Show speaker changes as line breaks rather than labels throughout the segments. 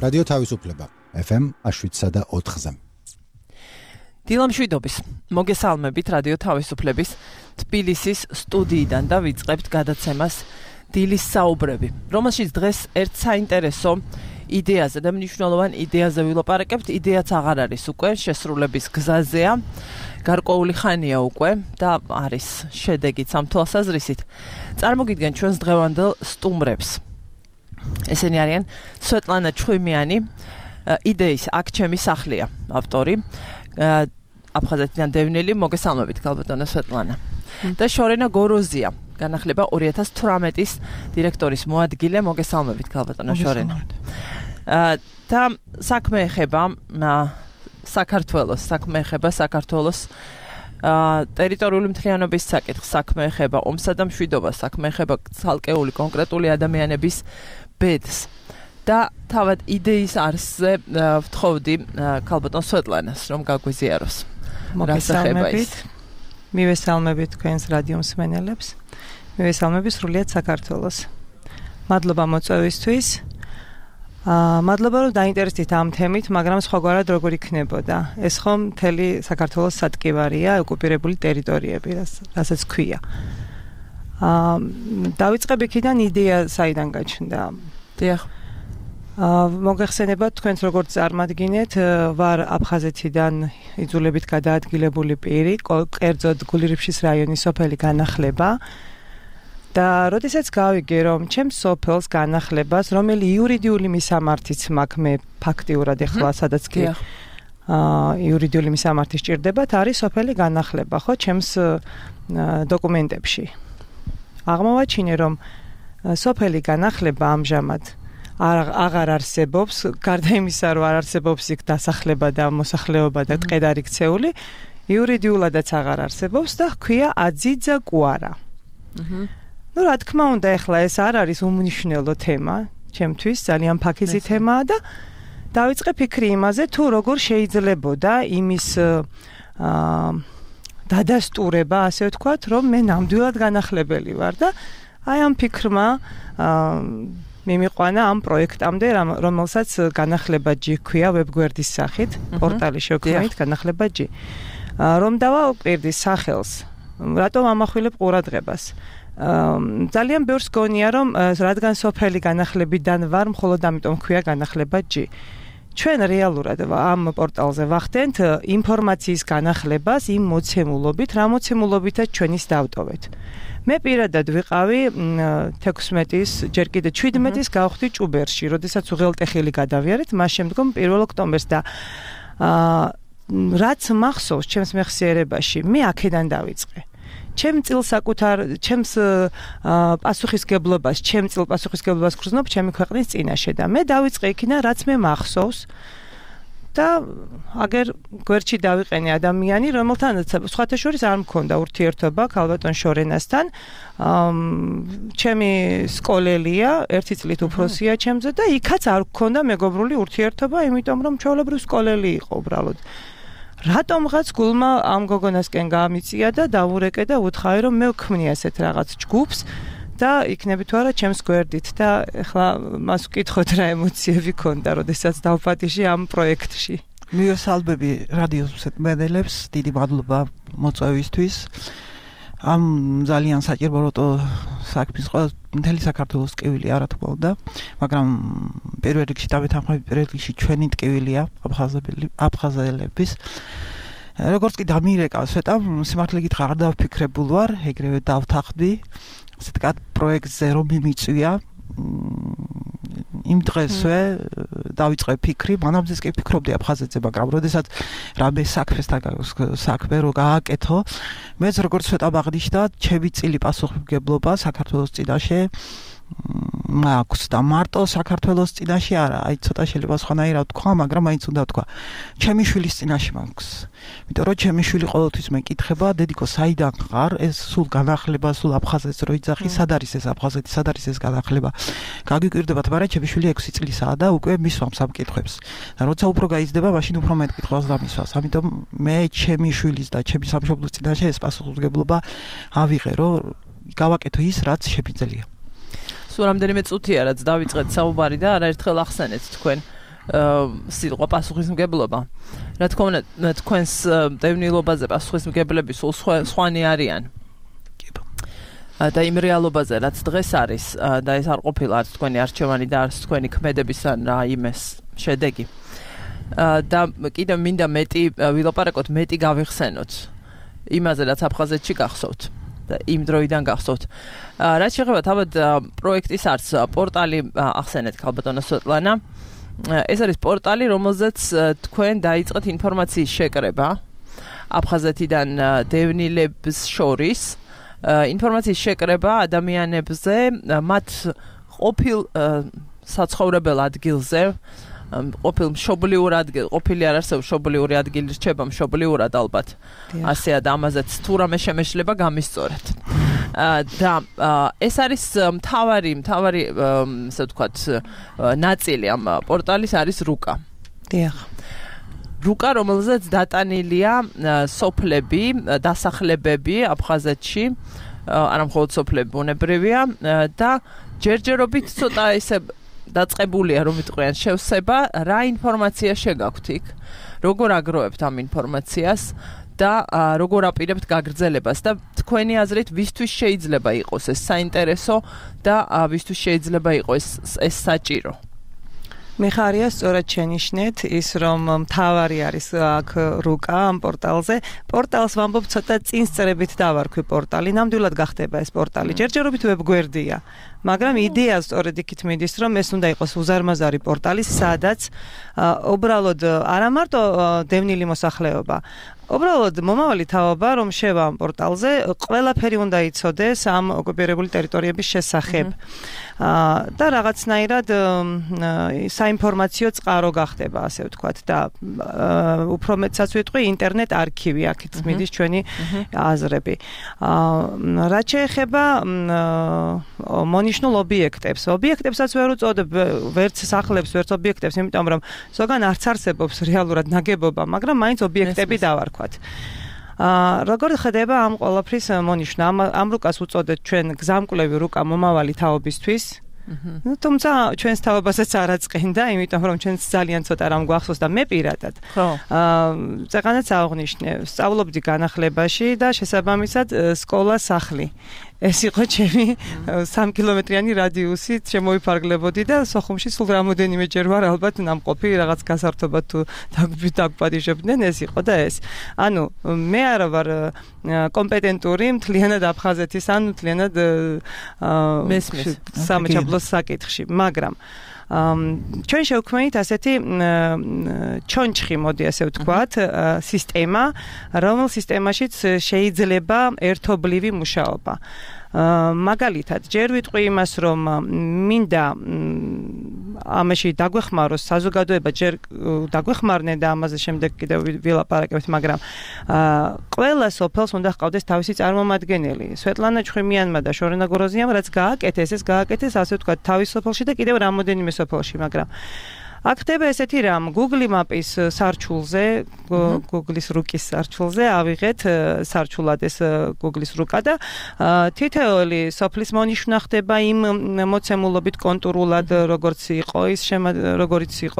რადიო თავისუფლება FM 7.4-ზე.
დილამშვიდობის. მოგესალმებით რადიო თავისუფლების თბილისის სტუდიიდან და ვიწყებთ გადაცემას დილის საუბრები, რომელშიც დღეს ერთ საინტერესო იდეაზე და მნიშვნელოვან იდეაზე ვილაპარაკებთ. იდეაც აღარ არის უკვე, შესრულების გზაზეა, გარკვეული ხანია უკვე და არის შედეგიც ამ თვალსაზრისით. წარმოგიდგენ ჩვენს დღევანდელ სტუმრებს. ესენი არიან სვეტლანა ჩხვიმიანი, იდეის აქ ჩემი სახლია ავტორი, აფხაზეთიდან დევნილი, მოგესალმებით ქალბატონო სვეტლანა. და შორენა გოროზია, განახლება 2018-ის დირექტორის მოადგილე, მოგესალმებით ქალბატონო შორენა. და საქმე ეხება საქართველოს ტერიტორიული მთლიანობის საკითხს, საქმე ეხება ომსა და მშვიდობას, საქმე ეხება ცალკეული კონკრეტული ადამიანების ბედს. და თავად იდეის არსზე ვთხოვდი ქალბატონ სვეტლანას, რომ გაგვიზიაროს.
მოგესალმებით. მივესალმებით თქვენს რადიო მსმენელებს. მივესალმებით სრულიად საქართველოს. მადლობა მოწვევისთვის. მადლობა რომ დაინტერესდით ამ თემით, მაგრამ სხვაგვარად როგორ იქნებოდა. ეს ხომ მთელი საქართველოს სატკივარია, ოკუპირებული ტერიტორიები, რასაც ქვია. დავიწყებ იქიდან იდეა საიდან გაჩნდა.
დიახ.
მოგეხსენებათ თქვენს როგორც წარმადგინეთ, ვარ აფხაზეთიდან იძულებით გადაადგილებული პირი, კერძოდ გულირიფშის რაიონის სოფელი განახლება. და როდესაც გავიგე, რომ ჩემს სოფელს განახლებას, რომელი იურიდიული მისამართიც მაქვს, მე ფაქტიურად ეხლა სადაც კი იურიდიული მისამართი სჭირდებათ, არის სოფელი განახლება, ხო, ჩემს დოკუმენტებში. აღმოვაჩინე, რომ სოფელი განახლება ამჟამად აღარ არსებობს, გარდა იმისა, რომ არ არსებობს იქ დასახლება და მოსახლეობა და ტყედარი ქცეული, იურიდიულადაც აღარ არსებობს და ჰქვია აძიძა კუარა. ნუ რა თქმა უნდა, ეხლა ეს არ არის უმნიშვნელო თემა, ჩემთვის ძალიან ფაქიზი თემაა და დავიწყე ფიქრი იმაზე, თუ როგორ შეიძლებოდა იმის დადასტურება, ასე ვთქვათ, რომ მე ნამდვილად განახლებელი ვარ და აი ამ ფიქრმა მიმიყვანა ამ პროექტამდე, რომელსაც განახლება.g ქვია ვებგვერდის სახით, პორტალი შევქმნით განახლება.g. რომ დავაუკვირდი სახელს, რატომ ამახვილებ ყურადღებას. ძალიან ბევრს გონია, რომ რადგან სოფელი განახლებიდან ვარ, მხოლოდ ამიტომ ქვია განახლება.g. ჩვენ რეალურად ამ პორტალზე ვახდენთ ინფორმაციის განახლებას იმ მოცემულობით, რა მოცემულობითაც ჩვენ ის დავტოვეთ. მე პირადად ვიყავი 16-ის, ჯერ კიდე 17-ის გავხდი ჭუბერში, როდესაც უღელტეხილი გადავიარეთ, მას შემდგომ 1 ოქტომბერს და რაც მახსოვს ჩემს მეხსიერებაში, მე აქედან დავიწყე. ჩემს პასუხისგებლობას გრძნობ ჩემი ქვეყნის წინაშე და მე დავიწყე იქიდან, რაც მე მახსოვს და აგერ გვერდში დავიყენე ადამიანი, რომელთანაც სხვათა შორის არ მქონდა ურთიერთობა ქალბატონ შორენასთან. ჩემი სკოლელია, 1 წლით უფროსია ჩემზე და იქაც არ მქონდა მეგობრული ურთიერთობა, იმიტომ რომ ჩვეულებრივ სკოლელი იყო უბრალოდ. რატომღაც გულმა ამ გოგონასკენ გამიწია და დავურეკე და უთხოვე, რომ მე ვქმნი ასეთ რაღაც ჯგუფს და იქნები თუ არა ჩემს გვერდით და ეხლა მას ვკითხოთ რა ემოციები ქონდა, როდესაც დავფატიში ამ პროექტში.
მივესალმები რადიოს მსმენელებს, დიდი მადლობა მოწვევისთვის. ამ ძალიან საჭირო საქმის ყველა მთელი საქართველოს ტკივილი არა თქმა უნდა, მაგრამ პირველ რიგში დავეთანხმები, პირველ რიგში ჩვენი ტკივილია აფხაზელების. როგორც კი დამირეკა სვეტამ, სიმართლე გითხრა არ დავფიქრებულ ვარ, ეგრევე დავთანხმდი. ასე ვთქვათ, პროექტზე რომ მიმიწვია, იმ დღესვე დავიწყე ფიქრი, მანამდეც კი ფიქრობდი აფხაზეთზე, მაგრამ როდესაც რამე საქმე რო გააკეთო, მეც როგორც სვეტამ აღნიშნა, ჩემი წილი პასუხისმგებლობა საქართველოს წინაშე მაქვს და მარტო საქართველოს წინაშე არა, აი ცოტა შეიძლება სხვანაირად თქვა, მაგრამ მაინც უნდა თქვა. ჩემი შვილის წინაშე მაქვს. იმიტომ რომ ჩემი შვილი ყოველთვის მეკითხება, დედიკო, საიდან ხარ? ეს სულ განახლება, სულ აფხაზეთს რო იძახი, სად არის ეს აფხაზეთი, სად არის ეს განახლება? გაგიკვირდებათ, მაგრამ ჩემი შვილი 6 წლისაა და უკვე მისვამს ამ კითხვებს. და როცა უფრო გაიზრდება, მაშინ უფრო მეტ კითხვას დამისვას. ამიტომ მე ჩემი შვილის და ჩემი სამშობლოს წინაშე ეს პასუხისმგებლობა ავიღე, რომ გავაკეთო ის, რაც შეგვიძლია.
სულ რამდენიმე წუთია, რაც დავიწყეთ საუბარი და არაერთხელ ახსენეთ თქვენ სიტყვა პასუხისმგებლობა. რა თქმა უნდა, თქვენს დევნილობაზე პასუხისმგებლები სულ სხვანი არიან. და იმ რეალობაზე, რაც დღეს არის, და ეს არ ყოფილა არც თქვენი არჩევანი და არც თქვენი ქმედების ან რაიმეს შედეგი. და კიდევ მინდა მეტი ვილაპარაკოთ, მეტი გავიხსენოთ იმაზე, რაც აფხაზეთში გახსოვთ და იმ დროიდან გახსოვთ. რაც შეეხება თავად პროექტის არც პორტალი ახსენეთ ქალბატონო სვეტლანა. ეს არის პორტალი, რომელზეც თქვენ დაიწყეთ ინფორმაციის შეკრება აფხაზეთიდან დევნილებს შორის. ინფორმაციის შეკრება ადამიანებზე, მათ ყოფილ საცხოვრებელ ადგილზე, ყოფილი არ არსებობს მშობლიური ადგილი რჩება მშობლიურად ალბათ. ასეა და ამაზეც თუ რამე შემეშლება გამისწორეთ. და ეს არის მთავარი ასე ვთქვათ ნაწილი ამ პორტალის არის რუკა.
დიახ.
რუკა, რომელზეც დატანილია სოფლები, დასახლებები აფხაზეთში, არა მხოლოდ სოფლები ბუნებრივია და ჯერჯერობით ცოტა ესე დაწყებულია, რომ ვიტყვიან შევსება, რა ინფორმაცია შეგაქვთ იქ, როგორ აგროვებთ ამ ინფორმაციას და როგორ აპირებთ გაგრძელებას და თქვენი აზრით ვისთვის შეიძლება იყოს ეს საინტერესო და ვისთვის შეიძლება იყოს ეს საჭირო.
მიხარია სწორად შენიშნეთ ის რომ მთავარი არის აქ რუკა ამ პორტალზე. პორტალს ვამბობ ცოტა წინსწრებით დავარქვი პორტალი. ნამდვილად გახდება ეს პორტალი. ჯერჯერობით ვებგვერდია. მაგრამ იდეა სწორედ იქით მიდის რომ ეს უნდა იყოს უზარმაზარი პორტალი, სადაც უბრალოდ არა მარტო დევნილი მოსახლეობა, უბრალოდ მომავალი თაობა რომ შევა ამ პორტალზე, ყველაფერი უნდა იცოდეს ამ ოკუპირებული ტერიტორიების შესახებ. და რაღაცნაირად საინფორმაციო წყარო გახდება, ასე ვთქვათ, და უფრო მეტსაც ვიტყვი ინტერნეტ არქივი, აქეთ მიდის ჩვენი აზრები. რაც შეეხება მონიშნულ ობიექტებს. ობიექტებსაც ვერ უწოდებ ვერც სახლებს, ვერც ობიექტებს, იმიტომ რომ ზოგან არც არსებობს რეალურად ნაგებობა, მაგრამ მაინც ობიექტები დავარქვათ. როგორ ხდება ამ ყველაფრის მონიშნა? ამ რუკას უწოდეთ ჩვენ გზამკვლევი რუკა მომავალი თაობისთვის. თუმცა ჩვენს თაობასაც არ აწყენდა, იმიტომ რომ ჩვენს ძალიან ცოტა რამ გვახსოვს და მე პირადად. წეღანაც აღვნიშნე, სწავლობდი განახლებაში და შესაბამისად სკოლა სახლი. ეს იყო ჩემი 3 კილომეტრიანი რადიუსით შემოიფარგლებოდი და სოხუმში სულ რამოდენიმეჯერ ვარ ალბათ ნამყოფი რაღაც გასართობად თუ დაგვპატიჟებდნენ, ეს იყო და ეს. ანუ მე არა ვარ კომპეტენტური მთლიანად აფხაზეთის ან მთლიანად
მესმის
სამაჩაბლოს საკითხში, მაგრამ ჩვენ შევქმნით ასეთი ჩონჩხი, მოდი ასე ვთქვათ, სისტემა, რომელ სისტემაშიც შეიძლება ერთობლივი მუშაობა. მაგალითად, ჯერ ვიტყვი იმას, რომ მინდა ამაში დაგვეხმაროს საზოგადოება, ჯერ დაგვეხმარნენ და ამაზე შემდეგ კიდევ ვილაპარაკებთ, მაგრამ ყველა სოფელს უნდა ჰყავდეს თავისი წარმომადგენელი. სვეტლანა ჩხიმიანმა და შორენა გოროზიამ რაც გააკეთეს, ეს გააკეთეს ასე ვთქვათ თავის სოფელში და კიდევ რამოდენიმე სოფელში, მაგრამ აქ ხდება ესეთი რამ, Google Map-ის სარჩულზე, Google-ის რუკის სარჩულზე ავიღეთ სარჩულად ეს Google-ის რუკა და თითოეული სოფლის მონიშნა ხდება იმ მოცემულობით კონტურულად, როგორც იყო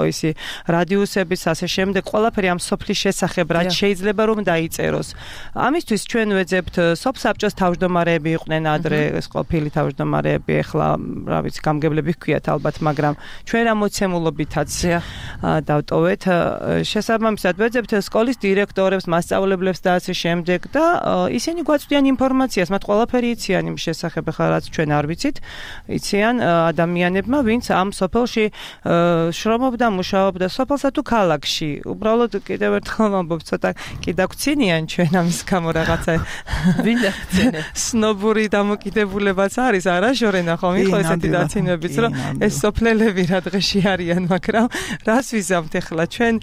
ისი რადიუსების, ასე შემდეგ, ყველაფერი ამ სოფლის შესახებ, რაც შეიძლება რომ დაიწეროს. ამისთვის ჩვენ ვეძებთ სოფსაბჭოს თავმჯდომარეები იყვნენ ადრე, ეს ყოფილი თავმჯდომარეები, ეხლა რა ვიცი, გამგებლები ჰქვიათ ალბათ, მაგრამ ჩვენ რა მოცემულობითაც დავტოვეთ. შესაბამისად ვეძებთ სკოლის დირექტორებს, მასწავლებლებს და ასე შემდეგ და ისინი გვაწვდიან ინფორმაციას, მათ ყველაფერი იციან იმ შესახებ, ხა რაც ჩვენ არ ვიცით, იციან ადამიანებმა, ვინც ამ სოფელში შრომობდა, მუშაობდა, სოფელსა თუ ქალაქში. უბრალოდ კიდევ ერთხელ ვამბობ, ცოტა კი დაგვრცინიან ჩვენ ამის გამო რაღაცა.
ვინ დაგვრცინე?
სნობური დამოკიდებულებაც არის, არა შორენა ხომ იყო ესეთი დაცინებიც, რომ ეს სოფლელები რა დღეში არიან, მაგრამ რას ვიზამთ ახლა ჩვენ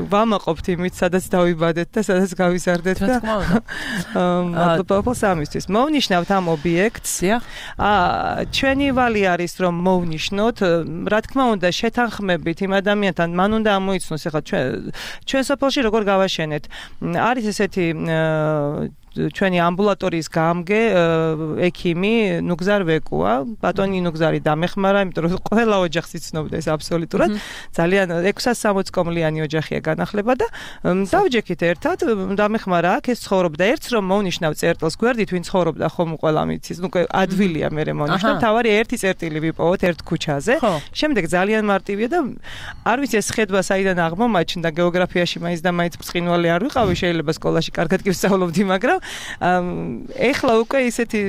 ვამაყობთ იმით, სადაც დავიბადეთ და სადაც გავიზარდეთ და მადლობა სამისთვის. მოვნიშნავთ ამ ობიექტს. ჩვენი ვალი არის რომ მოვნიშნოთ, რა თქმა უნდა შეთანხმებით იმ ადამიანთან, მან უნდა ამოიცნოს ახლა ჩვენ სოფელში როგორ გავაშენეთ. არის ესეთი ჩვენი ამბულატორიის გამგე ექიმი ნუგზარ ვეკუა ბატონი ნუგზარი დამეხმარა იმიტომ რომ ყველა ოჯახს იცნობდა ეს აბსოლუტურად ძალიან 660 კომლიანი ოჯახია განახლება და დავჯექით ერთად დამეხმარა აქ ეს ცხოვრობდა ერთს რომ მოვნიშნავ წერტილს გვერდით ვინ ცხოვრობდა ხომ ყველა მიცის ნუ ადვილია მე მოვნიშნავ თავარი ერთი წერტილი ვიპოვოთ ერთ ქუჩაზე შემდეგ ძალიან მარტივია და არ ვიცი ეს ხედვა საიდან აღმომაჩნდა გეოგრაფიაში მაინც და მაინც ბრწყინვალე არ ვიყავი შეიძლება სკოლაში კარგად კი ვსწავლობდი მაგრამ ეხლა უკვე ისეთი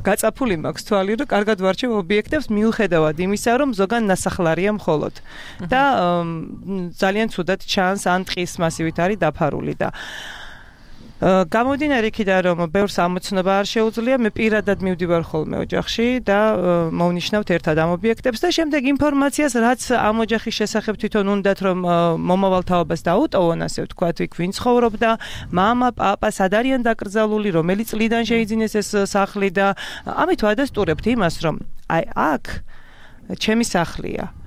გაწაფული მაქვს თვალი რომ კარგად ვარჩევ ობიექტებს მიუხედავად იმისა რომ ზოგან ნასახლარია მხოლოდ და ძალიან ცუდად ჩანს ან ტყის მასივით არის დაფარული და გამომდინარე იქიდან რომ ბევრს ამოცნობა არ შეუძლია მე პირადად მივდივარ ხოლმე ოჯახში და მოვნიშნავთ ერთად ამ ობიექტებს და შემდეგ ინფორმაციას რაც ამ ოჯახის შესახებ თვითონ უნდათ რომ მომავალ თაობას დაუტოვონ ასე ვთქვათ იქ ვინ ცხოვრობდა მამა პაპა სად არიან დაკრძალული რომელი წლიდან შეიძინეს ეს სახლი და ამით ვადასტურებთ იმას რომ აი აქ ჩემი სახლია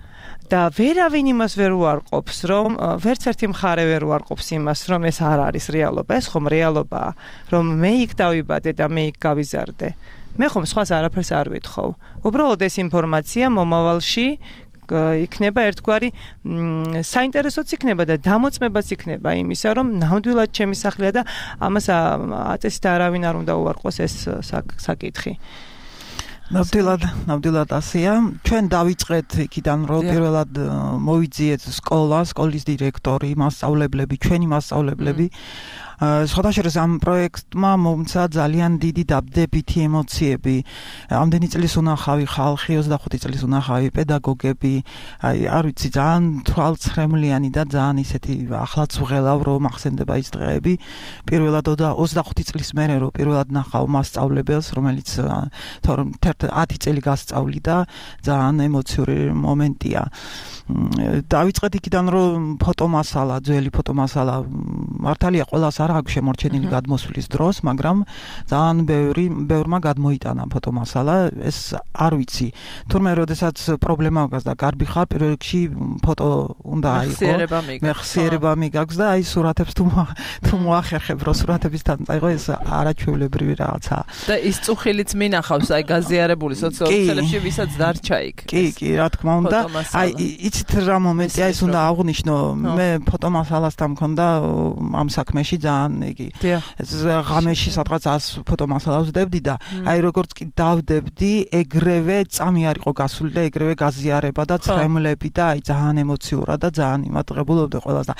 და ვერავინ იმას ვერ უარყოფს რომ ვერც ერთი მხარე ვერ უარყოფს იმას რომ ეს არ არის რეალობა ეს ხომ რეალობაა რომ მე იქ დავიბადე და მე იქ გავიზარდე მე ხომ სხვას არაფერს არ ვითხოვ უბრალოდ ეს ინფორმაცია მომავალში იქნება ერთგვარი საინტერესოც იქნება და დამოწმებაც იქნება იმისა რომ ნამდვილად ჩემი სახლია და ამას აწესით არავინ არ უნდა უარყოს ეს საკითხი
ნამდვილად ასეა. ჩვენ დავიწყეთ იქიდან რომ პირველად მოვიძიეთ სკოლის დირექტორი, მასწავლებლები, ჩვენი მასწავლებლები. Სხვადასხვა ამ პროექტმა მომცა ძალიან დიდი დაბდებითი ემოციები. Ამდენი წლის უნახავი ხალხი, 25 წლის უნახავი პედაგოგები, არ ვიცი, ძალიან თვალცრემლიანი და ძალიან ისეთი ახლაც ვღელავ რომ ახსენდება ის დღეები. პირველად 25 წლის მერე რომ პირველად ნახავ მასწავლებელს, რომელიც თორემ 10 წელი გასწავლიდა, ძალიან ემოციური მომენტია. დავიწყეთ იქიდან რომ ფოტომასალა, ძველი ფოტომასალა მართალია ყველას არ აქვს შემორჩენილი გადმოსვლის დროს, მაგრამ ძალიან ბევრმა გადმოიტანა ფოტომასალა, ეს არ ვიცი. თურმე როდესაც პრობლემა აქვს და გარბი ხარ, პირველ რიგში ფოტო უნდა აიღო. მეხსიერება მიგაქვს და აი სურათებს თუ მოახერხებ, რომ სურათებისთან წაიღო, ეს არაჩვეულებრივი რაღაცაა.
და ის წუხილიც მინახავს, აი გაზიარებული სოციალურ ქსელებში, ვისაც დარჩა იქ.
კი, რა თქმა უნდა. აი იცით რა მომენტია ის უნდა აღვნიშნო, მე ფოტომასალასთან მქონდა ამ საქმეში ძალიან იგი ღამეში სადღაც 100 ფოტომასალას ვდებდი და აი როგორც კი დავდებდი ეგრევე წამი არ იყო გასული და ეგრევე გაზიარება და ცრემლები და აი ძალიან ემოციურად და ძალიან იმატყებულობდი ყველას და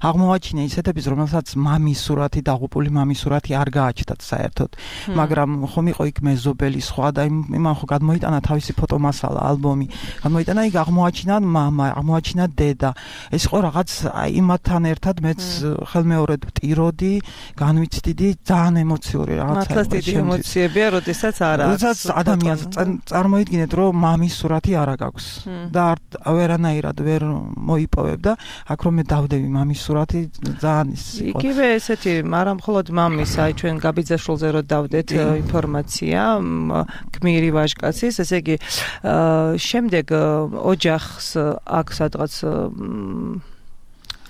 აღმოვაჩინე ისეთების რომელსაც მამის სურათი დაღუპული მამის სურათი არ გააჩნდათ საერთოდ მაგრამ ხომ იყო იქ მეზობელი სხვა და იმან ხო გადმოიტანა თავისი ფოტომასალა ალბომი გადმოიტანა იქ აღმოაჩინა მამა აღმოაჩინა დედა ეს იყო რაღაც აი იმათთან ერთად მეც ხელმეორედ ვტიროდი განვიცდიდი ძალიან ემოციური რაღაცა
მართლაც დიდი ემოციებია როდესაც არა
როდესაც ადამიანს წარმოიდგინეთ რომ მამის სურათი არ აქვს და ვერანაირად ვერ მოიპოვებ და აქ რომ მე დავდები მამის სურათი ძალიან ის იყო
იგივე ესეთი არა მხოლოდ მამის აი ჩვენ გაბიძაშვილზე რომ დავდეთ ინფორმაცია გმირი ვაჟკაცის ესე იგი შემდეგ ოჯახს აქ სადღაც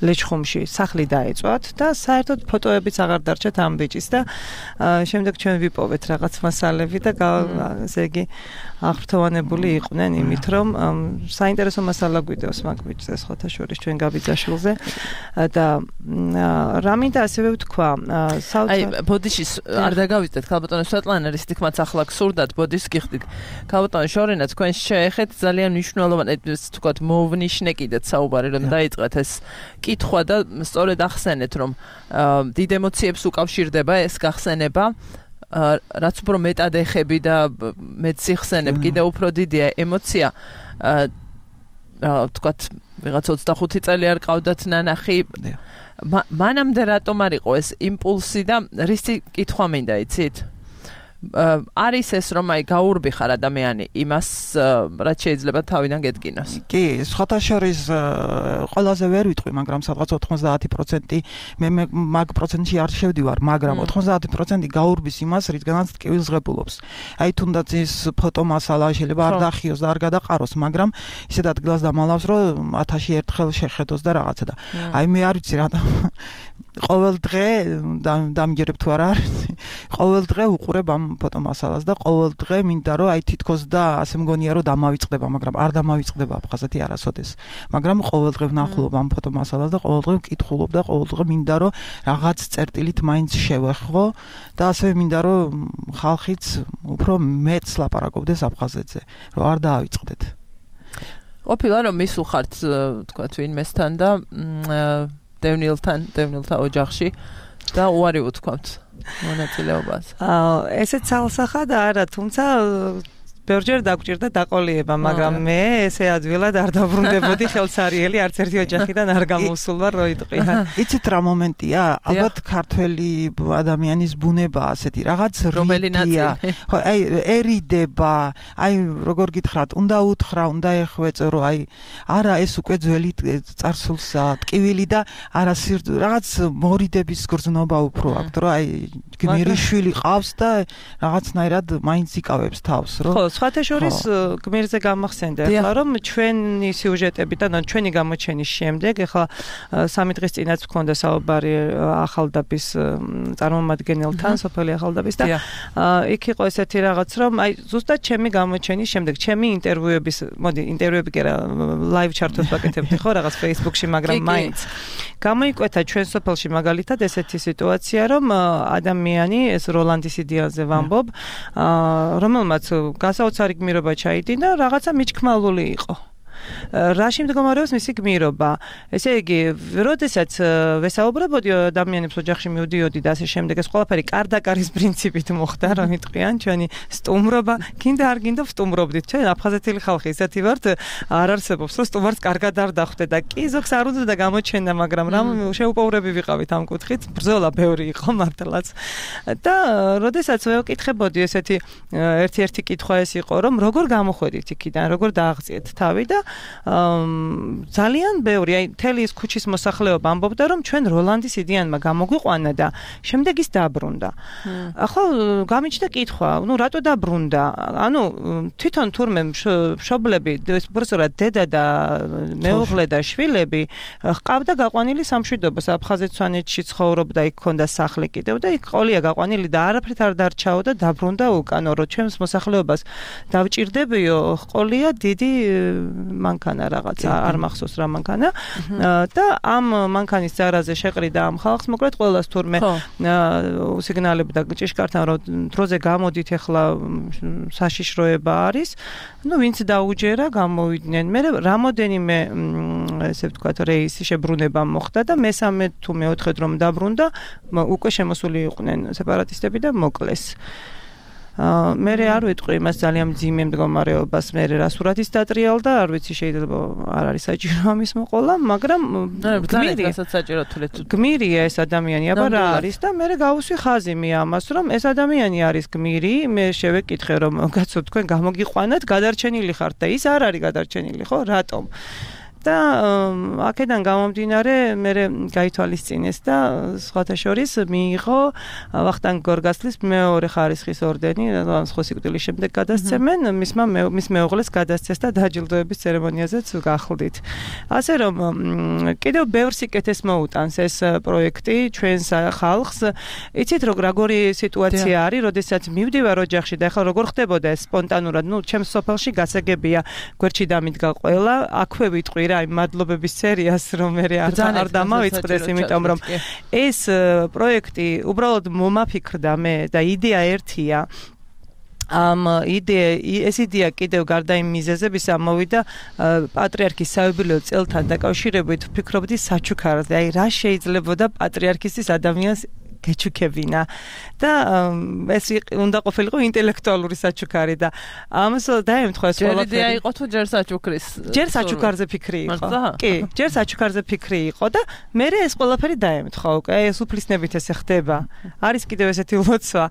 ლეჩხუმში სახლი დაეწვათ და საერთოდ ფოტოებიც აღარ დარჩათ ამ ბიჭის და შემდეგ ჩვენ ვიპოვეთ რაღაც მასალები და ესე იგი აღფრთოვანებული იყვნენ იმით რომ საინტერესო მასალა გვიდევს მაგ ბიჭზე სხვათა შორის ჩვენ გაბიძაშვილზე და რამინდა ასევე ვთქვა
აი ბოდიში არ დაგავიწყეთ ქალბატონო სვეტლანა რის თქმაც ახლა გსურდათ ბოდის გიხდით ქალბატონო შორენა თქვენ შეეხეთ ძალიან მნიშვნელოვანი თქვათ მოვნიშნე კიდეც საუბარი რომ დაიწყეთ ეს კითხვა და სწორედ ახსენეთ რომ დიდ ემოციებს უკავშირდება ეს გახსენება რაც უფრო მეტად ეხები და მეც იხსენებ კიდე უფრო დიდია ემოცია თქვათ ვიღაც 25 წელი არ ყავდათ ნანახი მანამდე რატომ არ იყო ეს იმპულსი და რისი კითხვა მინდა იცით არის ეს რომ აი გაურბიხარ ადამიანი იმას რაც შეიძლება თავიდან გედგინოს.
კი, სხვათა შორის ყველაზე ვერ ვიტყვი, მაგრამ სადღაც 90% მე მაგ პროცენტში არ შევდივარ, მაგრამ 90% გაურბის იმას, რითგანაც ტკივილს ღებულობს. აი თუნდაც ის ფოტომასალა შეიძლება არ დახიოს და არ გადაყაროს, მაგრამ ისეთ ადგილას დამალავს, რომ 1000-ში ერთხელ შეხედოს და რაღაცა და აი მე არ ვიცი რატომ ყოველ დღე დამჯერებ თუ არა ყოველ დღე უყურებ ამ ფოტომასალას და ყოველ დღე მინდა რომ აი თითქოს და ასე მგონია რომ დამავიწყდება, მაგრამ არ დამავიწყდება აფხაზეთი არასოდეს. მაგრამ ყოველ დღე ვნახულობ ამ ფოტომასალას და ყოველ დღე ვკითხულობ და ყოველ დღე მინდა რომ რაღაც წერტილით მაინც შევეხო და ასევე მინდა რომ ხალხიც უფრო მეც ლაპარაკობდეს აფხაზეთზე, რომ არ დაავიწყდეთ.
ყოფილა რომ მისულხართ თქვა ვინმესთან და დევნილთა ოჯახში და უარი უთქვამთ მონაწილეობას.
ესეც ცალსახად არა, თუმცა ბევრჯერ დაგვჭირდა დაყოლიება, მაგრამ მე ესე ადვილად არ დაბრუნდებოდი ხელსარიელი, არც ერთი ოჯახიდან არ გამოსულვარ, რო იტყვია.
იცით რა მომენტია? ალბათ ქართველი ადამიანის ბუნება ასეთი, რაღაც
რიდია.
ხო, აი ერიდება, აი როგორ გითხრათ, უნდა უთხრა, უნდა ეხვეწო, რომ აი არა ეს უკვე ძველი წარსულსა, ტკივილი და არა რაღაც მორიდების გრძნობა უფრო აქვს, რომ აი გმირიშვილი ყავს და რაღაცნაირად მაინც იკავებს თავს, რომ
სხვათა შორის გმირზე გამახსენდა ახლა რომ ჩვენი სიუჟეტებიდან ჩვენი გამოჩენის შემდეგ ახლა 3 დღის წინაც მქონდა საუბარი ახალდაბის წარმომადგენელთან, სოფელი ახალდაბის და იქ იყო ესეთი რაღაც რომ აი ზუსტად ჩემი გამოჩენის შემდეგ ჩემი ინტერვიუები კი არა ლაივ ჩარტოს ვაკეთებდი ხო რაღაც Facebook-ში, მაგრამ მაინც გამოიკვეთა ჩვენ სოფელში მაგალითად ესეთი სიტუაცია რომ ადამიანი ეს როლანდის იდეაზე ვამბობ რომელმაც გასაოცარი გმირობა ჩაიდინა, რაღაცა მიჩქმალული იყო. რაში მდგომარეობს მისი გმირობა? ესე იგი, როდესაც ვესაუბრებოდი ადამიანებს ოჯახში მივდიოდი და ასე შემდეგ, ეს ყველაფერი კარდაკარის პრინციპით მოხდა, რომ იტყვიან ჩვენი სტუმრობა, გინდა არ გინდა ვსტუმრობდით. ჩვენ აფხაზეთელი ხალხი ისეთი ვართ, არ არსებობს, რომ სტუმარს კარგად არ დახვდე და კი ზოგს არ უნდა და გამოჩენდა, მაგრამ რამ შეუპოვრები ვიყავით ამ კუთხით, ბრძოლა ბევრი იყო მართლაც. და როდესაც ვეკითხებოდი ესეთი ერთი კითხვა ეს იყო, რომ როგორ გამოხვედით იქიდან, როგორ დააღწიეთ თავი და ძალიან ბევრი, აი მთელი ის ქუჩის მოსახლეობა ამბობდა, რომ ჩვენ როლანდის იდეანმა გამოგვიყვანა და შემდეგ ის დაბრუნდა. ახლა გამიჩნდა კითხვა, ნუ რატო დაბრუნდა? ანუ თვითონ თურმე მშობლები, უბრალოდ დედა და მეუღლე და შვილები ჰყავდა გაყვანილი სამშვიდობა, აფხაზეთ-სვანეთში ცხოვრობდა, იქ ჰქონდა სახლი კიდევ და იქ ყოლია გაყვანილი და არაფრით არ დარჩაო და დაბრუნდა უკანო, რომ ჩვენს მოსახლეობას დავჭირდებიო, ყოლია დიდი მანქანა რაღაცა, არ მახსოვს რა მანქანა და ამ მანქანის ძარაზე შეყრიდა ამ ხალხს, მოკლედ ყველას თურმე უსიგნალებდა ჭიშკართან, რომ დროზე გამოდით ახლა საშიშროება არის, ну ვინც დაუჯერა გამოვიდნენ. მე რამოდენიმე ესე ვთქვათ რეისი შებრუნება მოხდა და მესამე თუ მეოთხედ რომ დაბრუნდა, უკვე შემოსული იყვნენ სეპარატისტები და მოკლეს. მე არ ვიტყვი იმას ძალიან მძიმე მდგომარეობას, მე რა სურათის დატრიალდა, არ ვიცი შეიძლება არ არის საჭირო ამის მოყოლა, მაგრამ გმირია ეს ადამიანი, აბა რა არის და მე გავუსვი ხაზი ამას, რომ ეს ადამიანი არის გმირი, მე შევეკითხე რომ კაცო თქვენ გამოგიყვანათ, გადარჩენილი ხართ და ის არ არის გადარჩენილი, ხო, რატომ? და აქედან გამომდინარე მე გაითვალისწინეს და სხვათა შორის მიიღო ვახტანგ გორგასლის მეორე ხარისხის ორდენი, სხვა სიკვდილის შემდეგ გადასცემენ, მის მეუღლეს გადასცეს და დაჯილდოების ცერემონიაზეც გახლდით. ასე რომ კიდევ ბევრ სიკეთეს მოუტანს ეს პროექტი ჩვენს ხალხს. იცით როგორი სიტუაცია არის, როდესაც მივდივარ ოჯახში და ახლა როგორ ხდებოდა ეს სპონტანურად, ნუ ჩემს სოფელში გასაგებია, გვერდში დამიდგა ყველა, აქვე ვიტყვი აი მადლობების სერიას რომ მე არ დამავიწყდეს, იმიტომ რომ ეს პროექტი უბრალოდ მომაფიქრდა მე და იდეა ერთია. ეს იდეა კიდევ გარდა იმ მიზეზებისა მოვიდა პატრიარქის საიუბილეო წელთან დაკავშირებით, ვფიქრობდი საჩუქარზე, აი რა შეიძლებოდა პატრიარქის ადამიანს გეჩუქებინა და ეს უნდა ყოფილიყო ინტელექტუალური საჩუქარი და ამას დაემთხვა ეს ყველაფერი.
ჯერ იდეა იყო თუ ჯერ საჩუქრის?
ჯერ საჩუქარზე ფიქრი იყო. კი, ჯერ საჩუქარზე ფიქრი იყო და მე ეს ყველაფერი დაემთხვა უკვე. ეს უფლისნებით ესე ხდება. არის კიდევ ესეთი ლოცვა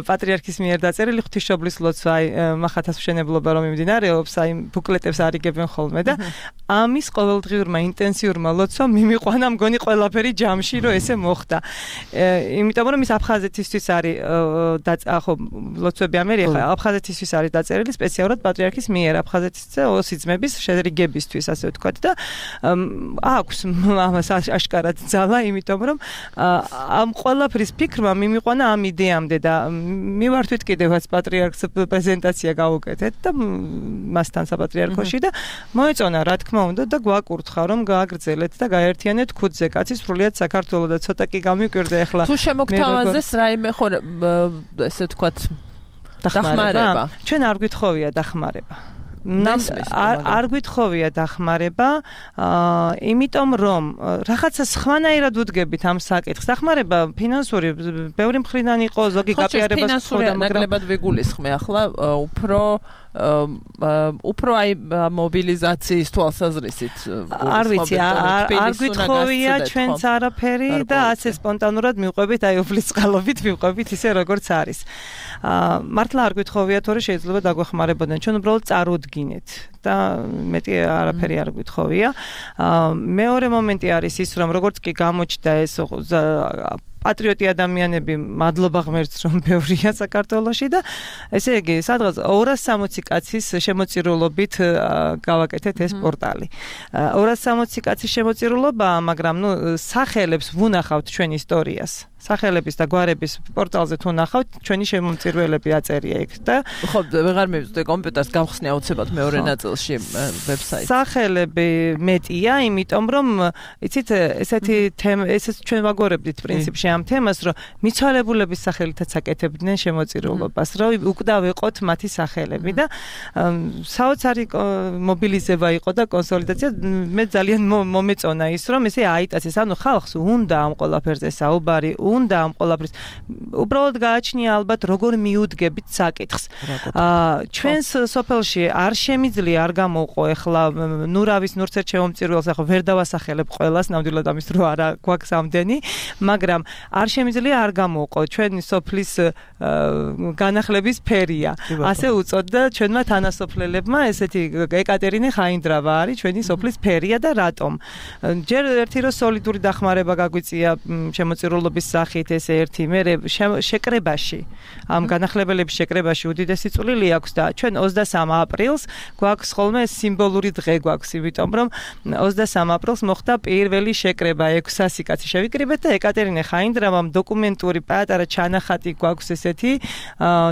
პატრიარქის მიერ დაწერილი ღვთისმშობლის ლოცვა, აი მახათას მშენებლობა რომ მიმდინარეობს, აი ბუკლეტებს არიგებენ ხოლმე და ამის ყოველდღიურმა ინტენსიურმა ლოცვამ მიმიყვანა მგონი ყველაფერი ჯამში, რომ ესე მოხდა. იმიტომ რომ ის აფხაზეთისთვის არის ხო ლოცვები ამერი ხა აფხაზეთისთვის არის დაწერილი სპეციალურად პატრიარქის მიერ აფხაზეთის ოსიძმების შერიგებისთვის ასე ვთქვათ და აქვს ამას აშკარად ძალა იმიტომ რომ ამ ყველაფრის ფიქრმა მიმიყვანა ამ იდეამდე და მივართვით კიდევაც პატრიარქს პრეზენტაცია გავუკეთეთ და მასთან საპატრიარქოში და მოეწონა რა თქმა უნდა და გვაკურთხა რომ გააგრძელეთ და გაერთიანეთ ქუდზე კაცის სრულიად საქართველოს და ცოტა კი გამიკვირდა ახლა
თუ შემოგთავაზეს რაიმე ხო ესე ვთქვათ დახმარება
ჩვენ არ გვითხოვია დახმარება არ გვითხოვია დახმარება იმიტომ რომ რაღაცა სხვანაირად უდგებით ამ საკითხს დახმარება ფინანსური ბევრი მხრიდან იყო ზოგი გაპიარებას
ხოდა ნაკლებად ვიგულისხმე ახლა უფრო აი მობილიზაციის თვალსაზრისით
არ ვიცი არ გვითხოვია ჩვენც არაფერი და ასე სპონტანურად მივყვებით აი უფლის წყალობით მივყვებით ისე როგორც არის მართლა არ გვითხოვია თორე შეიძლება დაგვეხმარებოდნენ ჩვენ უბრალოდ წარუდგინეთ და მეტი არაფერი არ გვითხოვია მეორე მომენტი არის ის რომ როგორც კი გამოჩნდა ეს პატრიოტი ადამიანები მადლობა ღმერთს რომ ბევრია საქართველოში და ესე იგი სადღაც 260 კაცის შემოწირულობით გავაკეთეთ ეს პორტალი 260 კაცის შემოწირულობაა მაგრამ ნუ სახელებს ვუნახავთ ჩვენ ისტორიას სახელების და გვარების პორტალზე თუ ნახავთ ჩვენი შემომწირველები აწერია იქ და
ხო ვეღარ მივწვდე კომპიუტერს გავხსნე აუცილებლად მეორე ნაწილში ვებსაიტი
სახელები მეტია იმიტომ რომ იცით ესეთი ესეც ჩვენ ვაგორებდით პრინციპში ამ თემას რომ მიცვალებულების სახელითაც აკეთებდნენ შემოწირულობას რომ უკდა ვეყოთ მათი სახელები და საოცარი მობილიზება იყო და კონსოლიდაცია მე ძალიან მომეწონა ის რომ ესე აიტაცეს ანუ ხალხს უნდა ამ ყველაფერზე საუბარი უნდა ამ ყველაფრის უბრალოდ გააჩნია ალბათ როგორ მიუდგებით საკითხს ჩვენს სოფელში არ შემიძლია არ გამოყო ახლა ნურავის ნურცეთ შემომწირველს ახლა ვერ დავასახელებ ყველას ნამდვილად ამის დრო არა გვაქვს ამდენი მაგრამ არ შემიძლია არ გამოყო ჩვენი სოფლის განახლების ფერია ასე უწოდდა ჩვენმა თანასოფლელებმა ესეთი ეკატერინე ხაინდრავა არის ჩვენი სოფლის ფერია და რატომ ჯერ ერთი რო სოლიდური დახმარება გაგვიწია შემოწირულობის სახით ეს ერთი მე შეკრებაში ამ განახლებელების შეკრებაში უდიდესი წვლილი აქვს და ჩვენ 23 აპრილს გვაქვს ხოლმე სიმბოლური დღე გვაქვს იმიტომ რომ 23 აპრილს მოხდა პირველი შეკრება 600 კაცი შევიკრიბეთ და ეკატერინე ხაინდრავამ დოკუმენტური პატარა ჩანახატი გვაქვს ესეთი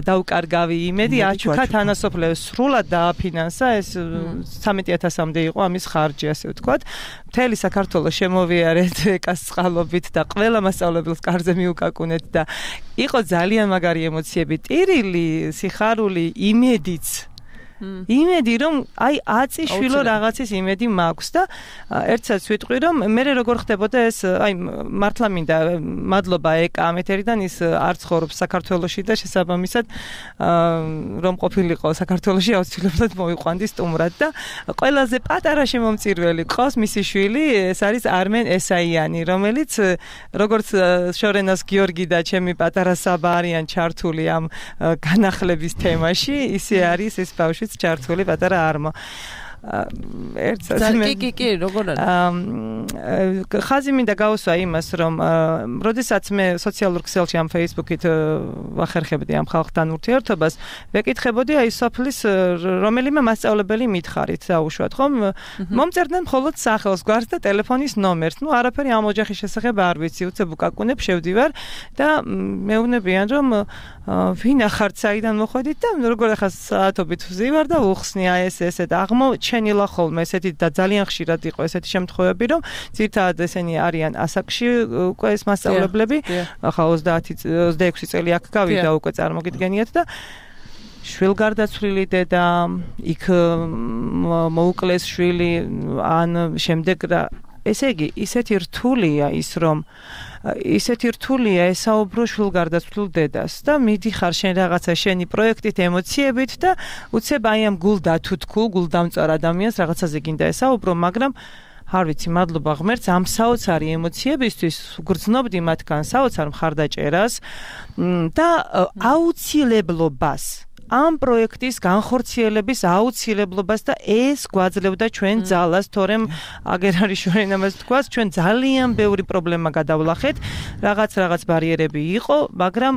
დაუკარგავი იმედი აჩუქა თანასოფლებს სრულად დააფინანსა ეს 13000-მდე იყო ამის ხარჯი ასე ვთქვათ მთელი საქართველოს შემოვიარეთ ეკას წყალობით და ყველა მასწავლებელს კარზე მიუკაკუნეთ და იყო ძალიან მაგარი ემოციები ტირილი სიხარული იმედიც იმედი რომ აი აწიშვილო რაღაცის იმედი მაქვს და ერთსაც ვიტყვი რომ მე როგორ ხდებოდა ეს აი მართლა მინდა მადლობა ეკა ამ ეთერიდან ის არ ცხოვრობს საქართველოში და შესაბამისად რომ ყოფილიყო საქართველოში აუცილებლად მოიყვანდი სტუმრად და ყველაზე პატარა შემომწირველი ყავს მისი შვილი ეს არის არმენ ესაიანი რომელიც როგორც შორენას გიორგი და ჩემი პატარა საბა არიან ჩართული ამ განახლების თემაში ისე არის ეს ბავშვი ჩართული პატარა არმო
კი როგორ არის
ხაზი მინდა გავუსვა იმას რომ როდესაც მე სოციალურ ქსელში ამ Facebook-ით ვახერხებდი ამ ხალხთან ურთიერთობას ვეკითხებოდი აი სოფლის რომელიმე მასწავლებელი მითხარით დაუშვათ ხომ მომწერდნენ მხოლოდ სახელს გვარს და ტელეფონის ნომერს ნუ არაფერი ამ ოჯახის შესახებ არ ვიცი უცებ უკაკუნებ შევდივარ და მეუბნებიან რომ ვინ ახართ საიდან მოხვედით და როგორ ახლა საათობით ვზივარ და უხსნი აი ესე და აღმოჩენილა ხოლმე ესეთი და ძალიან ხშირად იყო ესეთი შემთხვევები რომ ძირთადად ესენი არიან ასაკში უკვე ეს მასწავლებლები ახლა 26 წელი აქ გავიდა უკვე წარმოგიდგენიათ და შვილგარდაცვლილი დედა იქ მოუკლეს შვილი ან შემდეგ ესე იგი ისეთი რთულია ის რომ ისეთი რთულია ესაუბრო შვილგარდაცვლილ დედას და მიდიხარ შენ რაღაცა შენი პროექტით ემოციებით და უცებ აი ამ გულდათუთქულ გულდამწარ ადამიანს რაღაცაზე გინდა ესაუბრო მაგრამ არ ვიცი მადლობა ღმერთს ამ საოცარი ემოციებისთვის გრძნობდი მათგან საოცარ მხარდაჭერას და აუცილებლობას ამ პროექტის განხორციელების აუცილებლობას და ეს გვაძლევდა ჩვენ ძალას, თორემ აგერ არის შორენ ამას თქვას, ჩვენ ძალიან ბევრი პრობლემა გადავლახეთ, რაღაც ბარიერები იყო, მაგრამ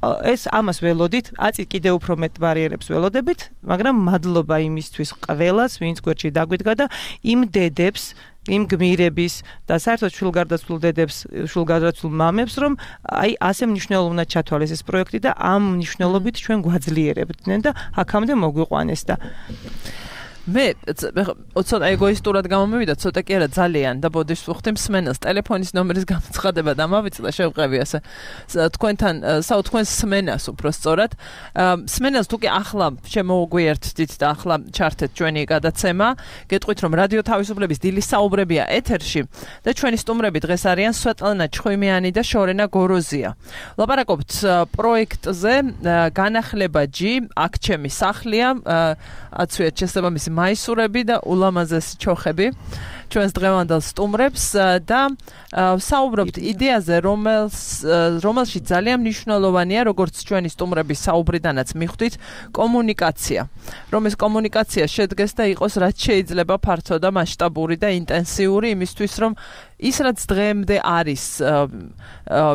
ეს ამას ველოდით, აწი კიდევ უფრო მეტ ბარიერებს ველოდებით, მაგრამ მადლობა იმისთვის ყველას, ვინც გვერდში დაგვიდგა და იმ დედებს, იმ გმირების და საერთოდ შულგარდაცვლილ დედებს, შულგარდაცვლილ მამებს, რომ აი ასე მნიშვნელოვნად ჩათვალეს ეს პროექტი და ამ მნიშვნელობით ჩვენ გვაძლიერებდნენ და აქამდე მოგვიყვანეს და მე ცოტა ეგოისტურად გამომივიდა, ცოტა კი არა ძალიან და ბოდიშს ვუხდი მსმენელს ტელეფონის ნომერის გამოცხადება და მავიწდა შევყევი ასე თქვენთან თქვენს სმენას უფრო სწორად სმენელს თუ კი ახლა შემოგვიერთდით და ახლა ჩართეთ ჩვენი გადაცემა გეტყვით რომ რადიო თავისუფლების დილის საუბრებია ეთერში და ჩვენი სტუმრები დღეს არიან სვეტლანა ჩხვიმიანი და შორენა გოროზია ლაპარაკობთ პროექტზე განახლება G აქ ჩემი სახლია აცვიეთ შესაბამისი მაისურები და ულამაზესი ჩოხები ჩვენს დღევანდელ სტუმრებს და საუბრობთ იდეაზე რომელშიც ძალიან მნიშვნელოვანია როგორც ჩვენი სტუმრების საუბრიდანაც მიხვდით კომუნიკაცია რომ ეს კომუნიკაცია შედგეს და იყოს რაც შეიძლება ფართო და მასშტაბური და ინტენსიური იმისთვის რომ ის რაც დღემდე არის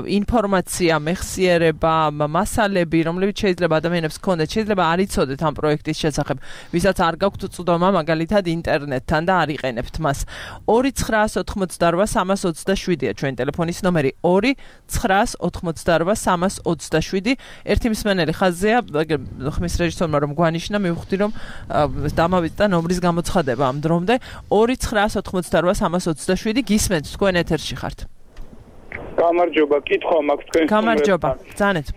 ინფორმაცია, მეხსიერება, მასალები, რომლებიც შეიძლება ადამიანებს ჰქონდეთ, შეიძლება არ იცოდეთ ამ პროექტის შესახებ, ვისაც არ გაქვთ წვდომა მაგალითად ინტერნეტთან და არ იყენებთ მას. 2988327-ია ჩვენი ტელეფონის ნომერი 2988327 ერთი მსმენელი ხაზია ხმის რეჟისორმა რომ გვანიშნა მივხვდი რომ დამავიწყდა ნომრის გამოცხადება ამ დრომდე 2988327 გისმენთ თქვენ ეთერში ხართ.
გამარჯობა, კითხვა მაქვს თქვენ.
გამარჯობა, ძანეთ.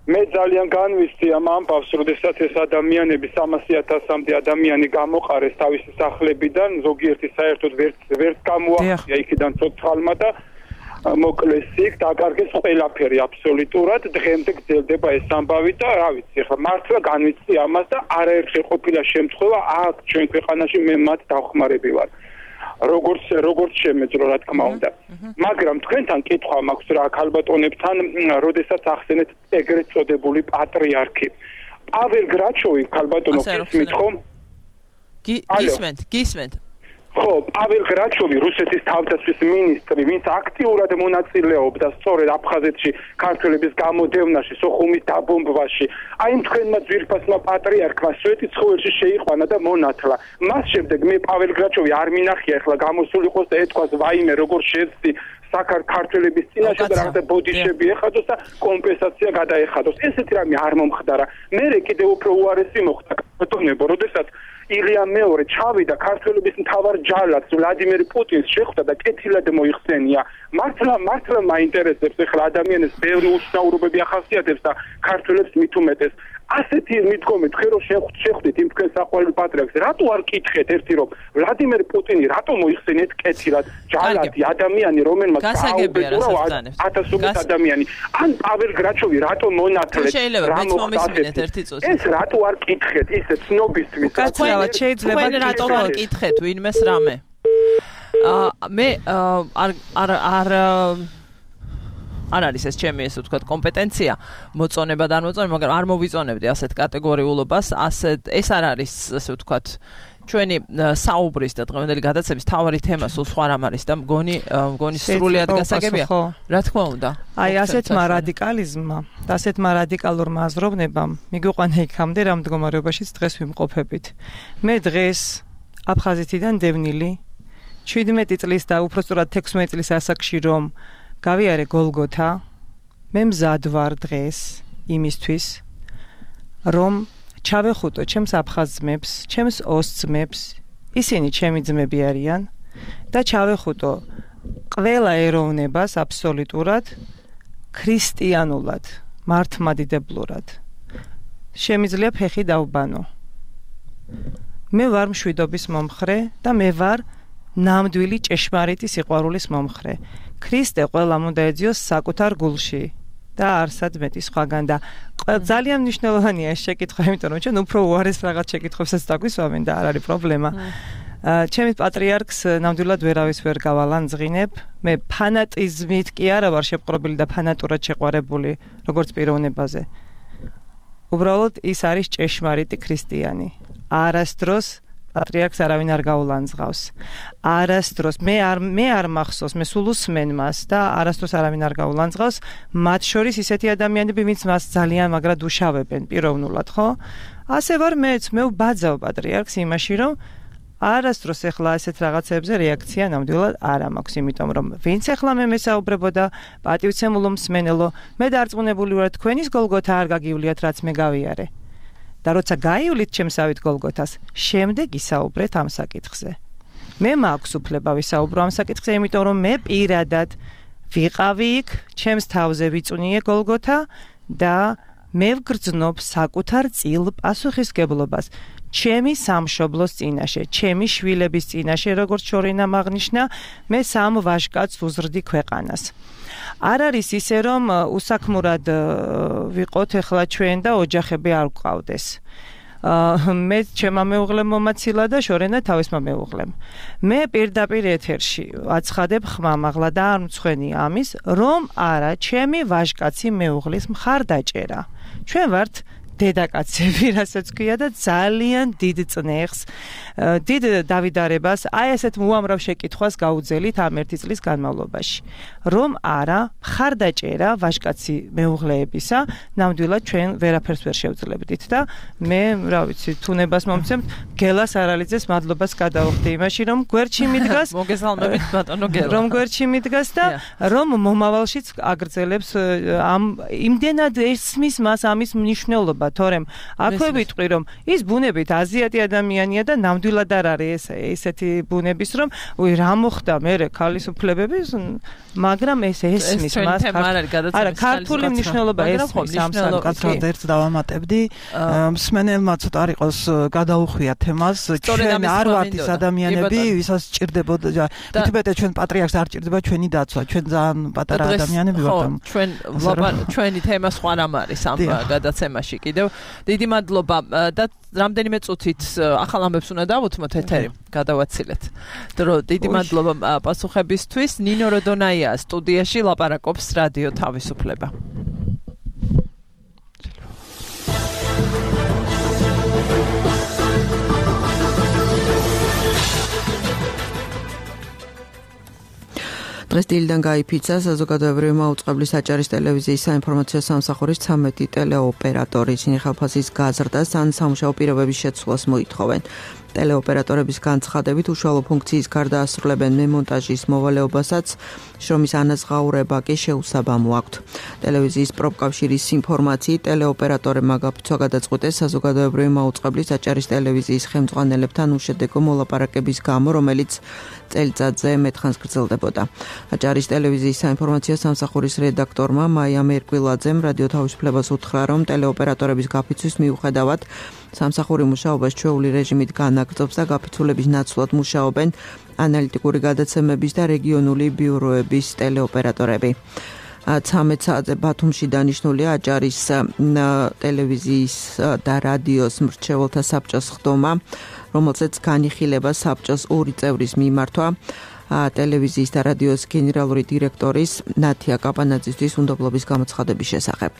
მე ძალიან განვისდი ამ ამბავს, როდესაც ეს ადამიანები 300,000-მდე ადამიანი გამოყარეს თავისი სახლებიდან, ზოგიერთი საერთოდ ვერც გამოახია იქიდან ცოცხალმა და მოკლეს იქ, დაკარგეს ყველაფერი აბსოლუტურად, დღემდე გრძელდება ეს ამბავი და რა ვიცი, ხა მართლა განვისდი ამას და არაერთხელ ყოფილა შემთხვევა აქ ჩვენ ქვეყანაში მე მათ დავხმარები ვარ. როგორც შემეძლო რა თქმა უნდა. მაგრამ თქვენთან კითხვა მაქვს რა ქალბატონებთან, როდესაც ახსენეთ ეგრეთ წოდებული პატრიარქი. პაվել გრაჩოვი ქალბატონო გისმით ხომ?
გისმენთ.
ხო, პაվել გრაჩოვი რუსეთის თავდაცვის მინისტრი, ვინც აქტიურად მონაწილეობდა სწორედ აფხაზეთში ქართველების გამოდევნაში, სოხუმის დაბომბვაში. აი თქვენმა ძვირფასმა პატრიარქმა სვეტის ცხოველში შეიყვანა და მონათლა. მას შემდეგ მე პაվել გრაჩოვი არ მინახია ახლა გამოსული იყოს და ეთქვას ვაიმე როგორ შეცდი საქართველების წინაშე და რაღაცა ბოდიშები ეხადოს და კომპენსაცია გადაეხადოს. ესეთი რამე არ მომხდარა. მე კიდევ უფრო უარესი მოხდა ბატონებო, როდესაც ილია მეორე ჩავიდა ქართველების მთავარ ჯალათს ვლადიმერ პუტინს შეხვდა და კეთილად მოიხსენია. მართლა მაინტერესებს ახლა ადამიანებს ბევრი უშნაურობები ახასიათებს და ქართველებს მით უმეტეს. ასეთი მიდგომით ხე რომ შეხვდით იმ თქვენ საყვარელ პატრიარქს, რატო არ კითხეთ ერთი რომ ვლადიმერ პუტინი რატო მოიხსენიეთ კეთილად ჯალათი ადამიანი რომელმაც გააუბედურა 1000 ადამიანი ან პაվել გრაჩოვი რატო მონათლეთ
რა მოხდა
ეს რატო არ კითხეთ ისე ცნობისთვის
კაცრავად შეიძლება
რატო არ კითხეთ ვინმეს რამე მე არ არის ეს ჩემი ესე ვთქვათ კომპეტენცია მოწონება და არ მოწონება, მაგრამ არ მოვიწონებდი ასეთ კატეგორიულობას, ეს არ არის ესე ვთქვათ ჩვენი საუბრის და დღევანდელი გადაცემის თავარი თემა სულ სხვა რამ არის და მგონი სრულიად გასაგებია. რა თქმა უნდა.
აი ასეთმა რადიკალიზმმა და ასეთმა რადიკალურმა აზროვნებამ მიგვიყვანა იქამდე რა მდგომარეობაშიც დღეს ვიმყოფებით. მე დღეს აფხაზეთიდან დევნილი 17 წლის და უფრო სწორად 16 წლის ასაკში რომ გავიარე გოლგოთა, მე მზად ვარ დღეს იმისთვის, რომ ჩავეხუტო ჩემს აფხაზ ძმებს, ჩემს ოს ძმებს, ისინი ჩემი ძმები არიან და ჩავეხუტო ყველა ეროვნებას აბსოლუტურად ქრისტიანულად, მართლმადიდებლურად. შემიძლია ფეხი დავბანო. მე ვარ მშვიდობის მომხრე და მე ვარ ნამდვილი ჭეშმარიტი სიყვარულის მომხრე. ქრისტე ყველამ უნდა ეძიოს საკუთარ გულში და არსად მეტი სხვაგან და ძალიან მნიშვნელოვანია ეს შეკითხვა, იმიტომ რომ ჩვენ უფრო უარეს რაღაც შეკითხვებსაც დაგვისვამენ და არ არის პრობლემა. ჩემი პატრიარქს ნამდვილად ვერავის ვერ გავალანძღინებ. მე ფანატიზმით კი არა ვარ შეპყრობილი და ფანატურად შეყვარებული როგორც პიროვნებაზე. უბრალოდ ის არის ჭეშმარიტი ქრისტიანი. არასდროს პატრიარქს არავინ არ გაულანძღავს. არასდროს მე არ მახსოვს, მე სულ უსმენ მას და არასდროს არავინ არ გაულანძღავს, მათ შორის ისეთი ადამიანები, ვინც მას ძალიან მაგრად უშავებენ პიროვნულად, ხო? ასე ვარ მეც, მე ვბაძავ პატრიარქს იმაში, რომ არასდროს ეხლა ასეთ რაღაცებზე რეაქცია ნამდვილად არ მაქვს, იმიტომ რომ ვინც ეხლა მე მესაუბრებოდა პატივცემულო მსმენელო, მე დარწმუნებული ვარ თქვენის გოლგოთა არ გაგივლიათ, რაც მე გავიარე. და როცა გაივლით ჩემსავით გოლგოთას, შემდეგ ისაუბრეთ ამ საკითხზე. მე მაქვს უფლება ვისაუბრო ამ საკითხზე, იმიტომ რომ მე პირადად ვიყავი იქ, ჩემს თავზე ვიწუნიე გოლგოთა და მე ვგრძნობ საკუთარ წილ პასუხისგებლობას ჩემი სამშობლოს წინაშე, ჩემი შვილების წინაშე, როგორც შორინამ აღნიშნა, მე 3 ვაჟკაცს ვუზრდი ქვეყანას. არ არის ისე, რომ უსაქმურად ვიყოთ ეხლა ჩვენ და ოჯახები არ გვყავდეს. მე ჩემმა მეუღლემ მომაცილა და შორენა თავისმა მეუღლემ. მე პირდაპირ ეთერში აცხადებ ხმამაღლა და არ მცხვენი ამის, რომ არა, ჩემი ვაჟკაცი მეუღლის მხარდაჭერა. ჩვენ ვართ დედაკაცები, რასაც ქვია და ძალიან დიდ წნეხს, დიდ დავიდარებას, აი ასეთ უამრავ შეკითხვას გაუძელით ამ 1 წლის განმავლობაში. რომ არა, მხარდაჭერა ვაჟკაცი მეუღლეებისა, ნამდვილად ჩვენ ვერაფერს ვერ შევძლებდით და მე, რა ვიცი, თუნებას მომცემთ, გელას არალიძეს მადლობას გადავხდი იმაში, რომ გვერდში მიდგას,
მოგესალმებით ბატონო გელა.
რომ გვერდში მიდგას და რომ მომავალშიც აგრძელებს ამ იმდენად ესმის მას ამის მნიშვნელობა. თორემ აქვე ვიტყვი რომ ის ბუნებით აზიათი ადამიანია და ნამდვილად არ არის ესეთი ბუნების რომ რა მოხდა მე ქალის უფლებების მაგრამ ეს ესმის მას არა ქართული მნიშვნელობა ესმის ამ
საკითხად ერთ დავამატებდი მსმენელმა ცოტა არ იყოს გადაუხვია თემას ჩვენ არ ვართ ის ადამიანები ვისაც სჭირდებოდა თითქმეტ ჩვენ პატრიარქს არ სჭირდება ჩვენი დაცვა ჩვენ ძალიან პატარა ადამიანები ვართ
ჩვენი თემა სხვა რამ არის ამ გადაცემაში დიდი მადლობა და რამდენიმე წუთით ახალ ამბებს უნდა დავუთმოთ ეთერი გადავაცილეთ. დრო დიდი მადლობა პასუხებისთვის. ნინო როდონაია სტუდიაში ლაპარაკობს რადიო თავისუფლება.
დღეს დილიდან გაიფიცა საზოგადოებრივი მაუწყებლის აჭარის ტელევიზიის საინფორმაციო სამსახურის 13 ტელეოპერატორი. ისინი ხალხის გაზრდას ან სამუშაო პირობების შეცვლას მოითხოვენ. ტელეოპერატორების განცხადებით უშუალო ფუნქციის გარდა ასრულებენ მემონტაჟის მოვალეობასაც, შრომის ანაზღაურება კი შეუსაბამო აქვთ. ტელევიზიის პროფკავშირის ინფორმაციით ტელეოპერატორებმა გაფიცვა გადაწყვიტეს საზოგადოებრივი მაუწყებლის აჭარის ტელევიზიის ხელმძღვანელებთან უშედეგო მოლაპარაკების გამო, რომელიც წელიწადზე მეტხანს გრძელდებოდა. აჭარის ტელევიზიის საინფორმაციო სამსახურის რედაქტორმა მაიამ ერკვილაძემ რადიო თავისუფლებას უთხრა, რომ ტელეოპერატორების გაფიცვის მიუხედავად სამსახური მუშაობას ჩვეული რეჟიმით განაგრძობს და გაფიცულების ნაცვლად მუშაობენ ანალიტიკური გადაცემების და რეგიონული ბიუროების ტელეოპერატორები. 13 საათზე ბათუმში დანიშნულია აჭარის ტელევიზიის და რადიოს მრჩეველთა საბჭოს ხდომა, რომელზეც განიხილება საბჭოს 2 წევრის მიმართვა ტელევიზიის და რადიოს გენერალური დირექტორის ნათია კაპანაძისთვის უნდობლობის გამოცხადების შესახებ.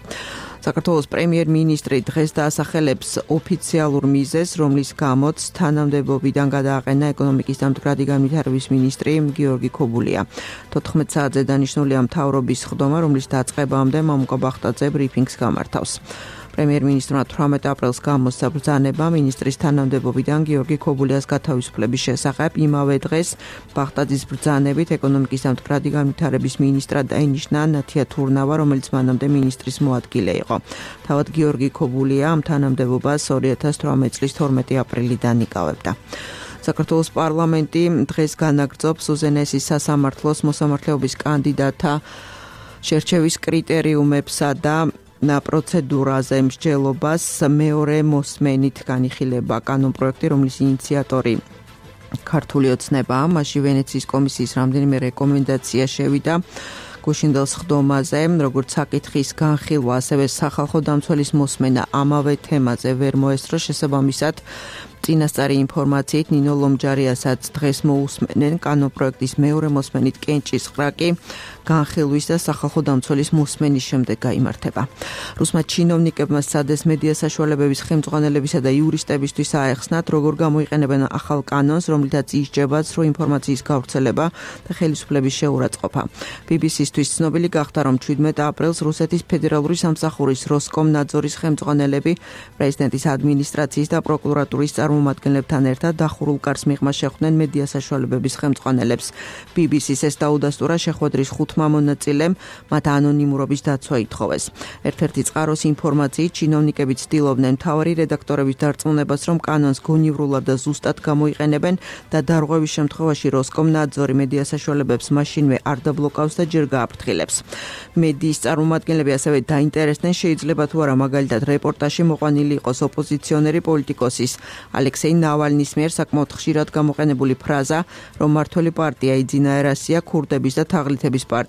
საქართველოს პრემიერ-მინისტრი დღეს დაასახელებს ოფიციალურ მიზეზს, რომლის გამოც თანამდებობიდან გადააყენა ეკონომიკის და მდგრადი განვითარების მინისტრი გიორგი ქობულია. 14 საათზე დანიშნულია მთავრობის ხდომა, რომლის დაწყებამდე მამუკა ბახტაძე ბრიფინგს გამართავს. პრემიერ-მინისტრმა 18 აპრილს გამოსცა ბრძანება მინისტრის თანამდებობიდან გიორგი ქობულიას გათავისუფლების შესახებ. იმავე დღეს ბახტაძის ბრძანებით ეკონომიკის და მდგრადი განვითარების მინისტრად დაინიშნა ნათია თურნავა, რომელიც მანამდე მინისტრის მოადგილე იყო. თავად გიორგი ქობულია ამ თანამდებობას 2018 წლის 12 აპრილიდან იკავებდა. საქართველოს პარლამენტი დღეს განაგრძობს უზენაესი სასამართლოს მოსამართლეობის კანდიდატთა შერჩევის კრიტერიუმებსა და პროცედურაზე მსჯელობას მეორე მოსმენით განიხილება კანონპროექტი, რომლის ინიციატორი ქართული ოცნებაა. მასში ვენეციის კომისიის რამდენიმე რეკომენდაცია შევიდა გუშინდელს ხდომაზე, როგორც საკითხის განხილვა, ასევე სახალხო დამცველის მოსმენა ამავე თემაზე ვერ მოესწრო, შესაბამისად წინასწარი ინფორმაციით ნინო ლომჯარიასაც დღეს მოусმენენ კანონპროექტის მეორე მოსმენით კენჭის ყრაკი განხილვის და სახალხო დამცველის მოსმენის შემდეგ გაიმართება. რუსმა ჩინოვნიკებმა სადეს მედია საშუალებების ხელმძღვანელებისა და იურისტებისთვის აეხსნათ, როგორ გამოიყენებენ ახალ კანონს, რომლითაც ისჯება ცრუ ინფორმაციის გავრცელება და ხელისუფლების შეურაცხყოფა. BBC-ისთვის ცნობილი გახდა, რომ 17 აპრილს რუსეთის ფედერალური სამსახურის როსკომნაძორის ხელმძღვანელები პრეზიდენტის ადმინისტრაციის და პროკურატურის წარმომადგენლებთან ერთად დახურულ კარს მიღმა შეხვდნენ მედია საშუალებების ხელმძღვანელებს. BBC-ს ეს დაუდასტურა შეხვედრის 5 მონაწილემ მათ ანონიმურობის დაცვა ითხოვეს. ერთ-ერთი წყაროს ინფორმაციით ჩინოვნიკები ცდილობდნენ მთავარი რედაქტორების დარწმუნებას, რომ კანონს გონივრულად და ზუსტად გამოიყენებენ და დარღვევის შემთხვევაში როსკომნაძორი მედია საშუალებებს მაშინვე არ დაბლოკავს და ჯერ გააფრთხილებს. მედიის წარმომადგენლები ასევე დაინტერესდნენ, შეიძლება თუ არა მაგალითად რეპორტაჟში მოყვანილი იყოს ოპოზიციონერი პოლიტიკოსის ალექსეი ნავალნის მიერ საკმაოდ ხშირად გამოყენებული ფრაზა, რომ მმართველი პარტია იძინა ერასია ქურდების და თაღლითების პარტია.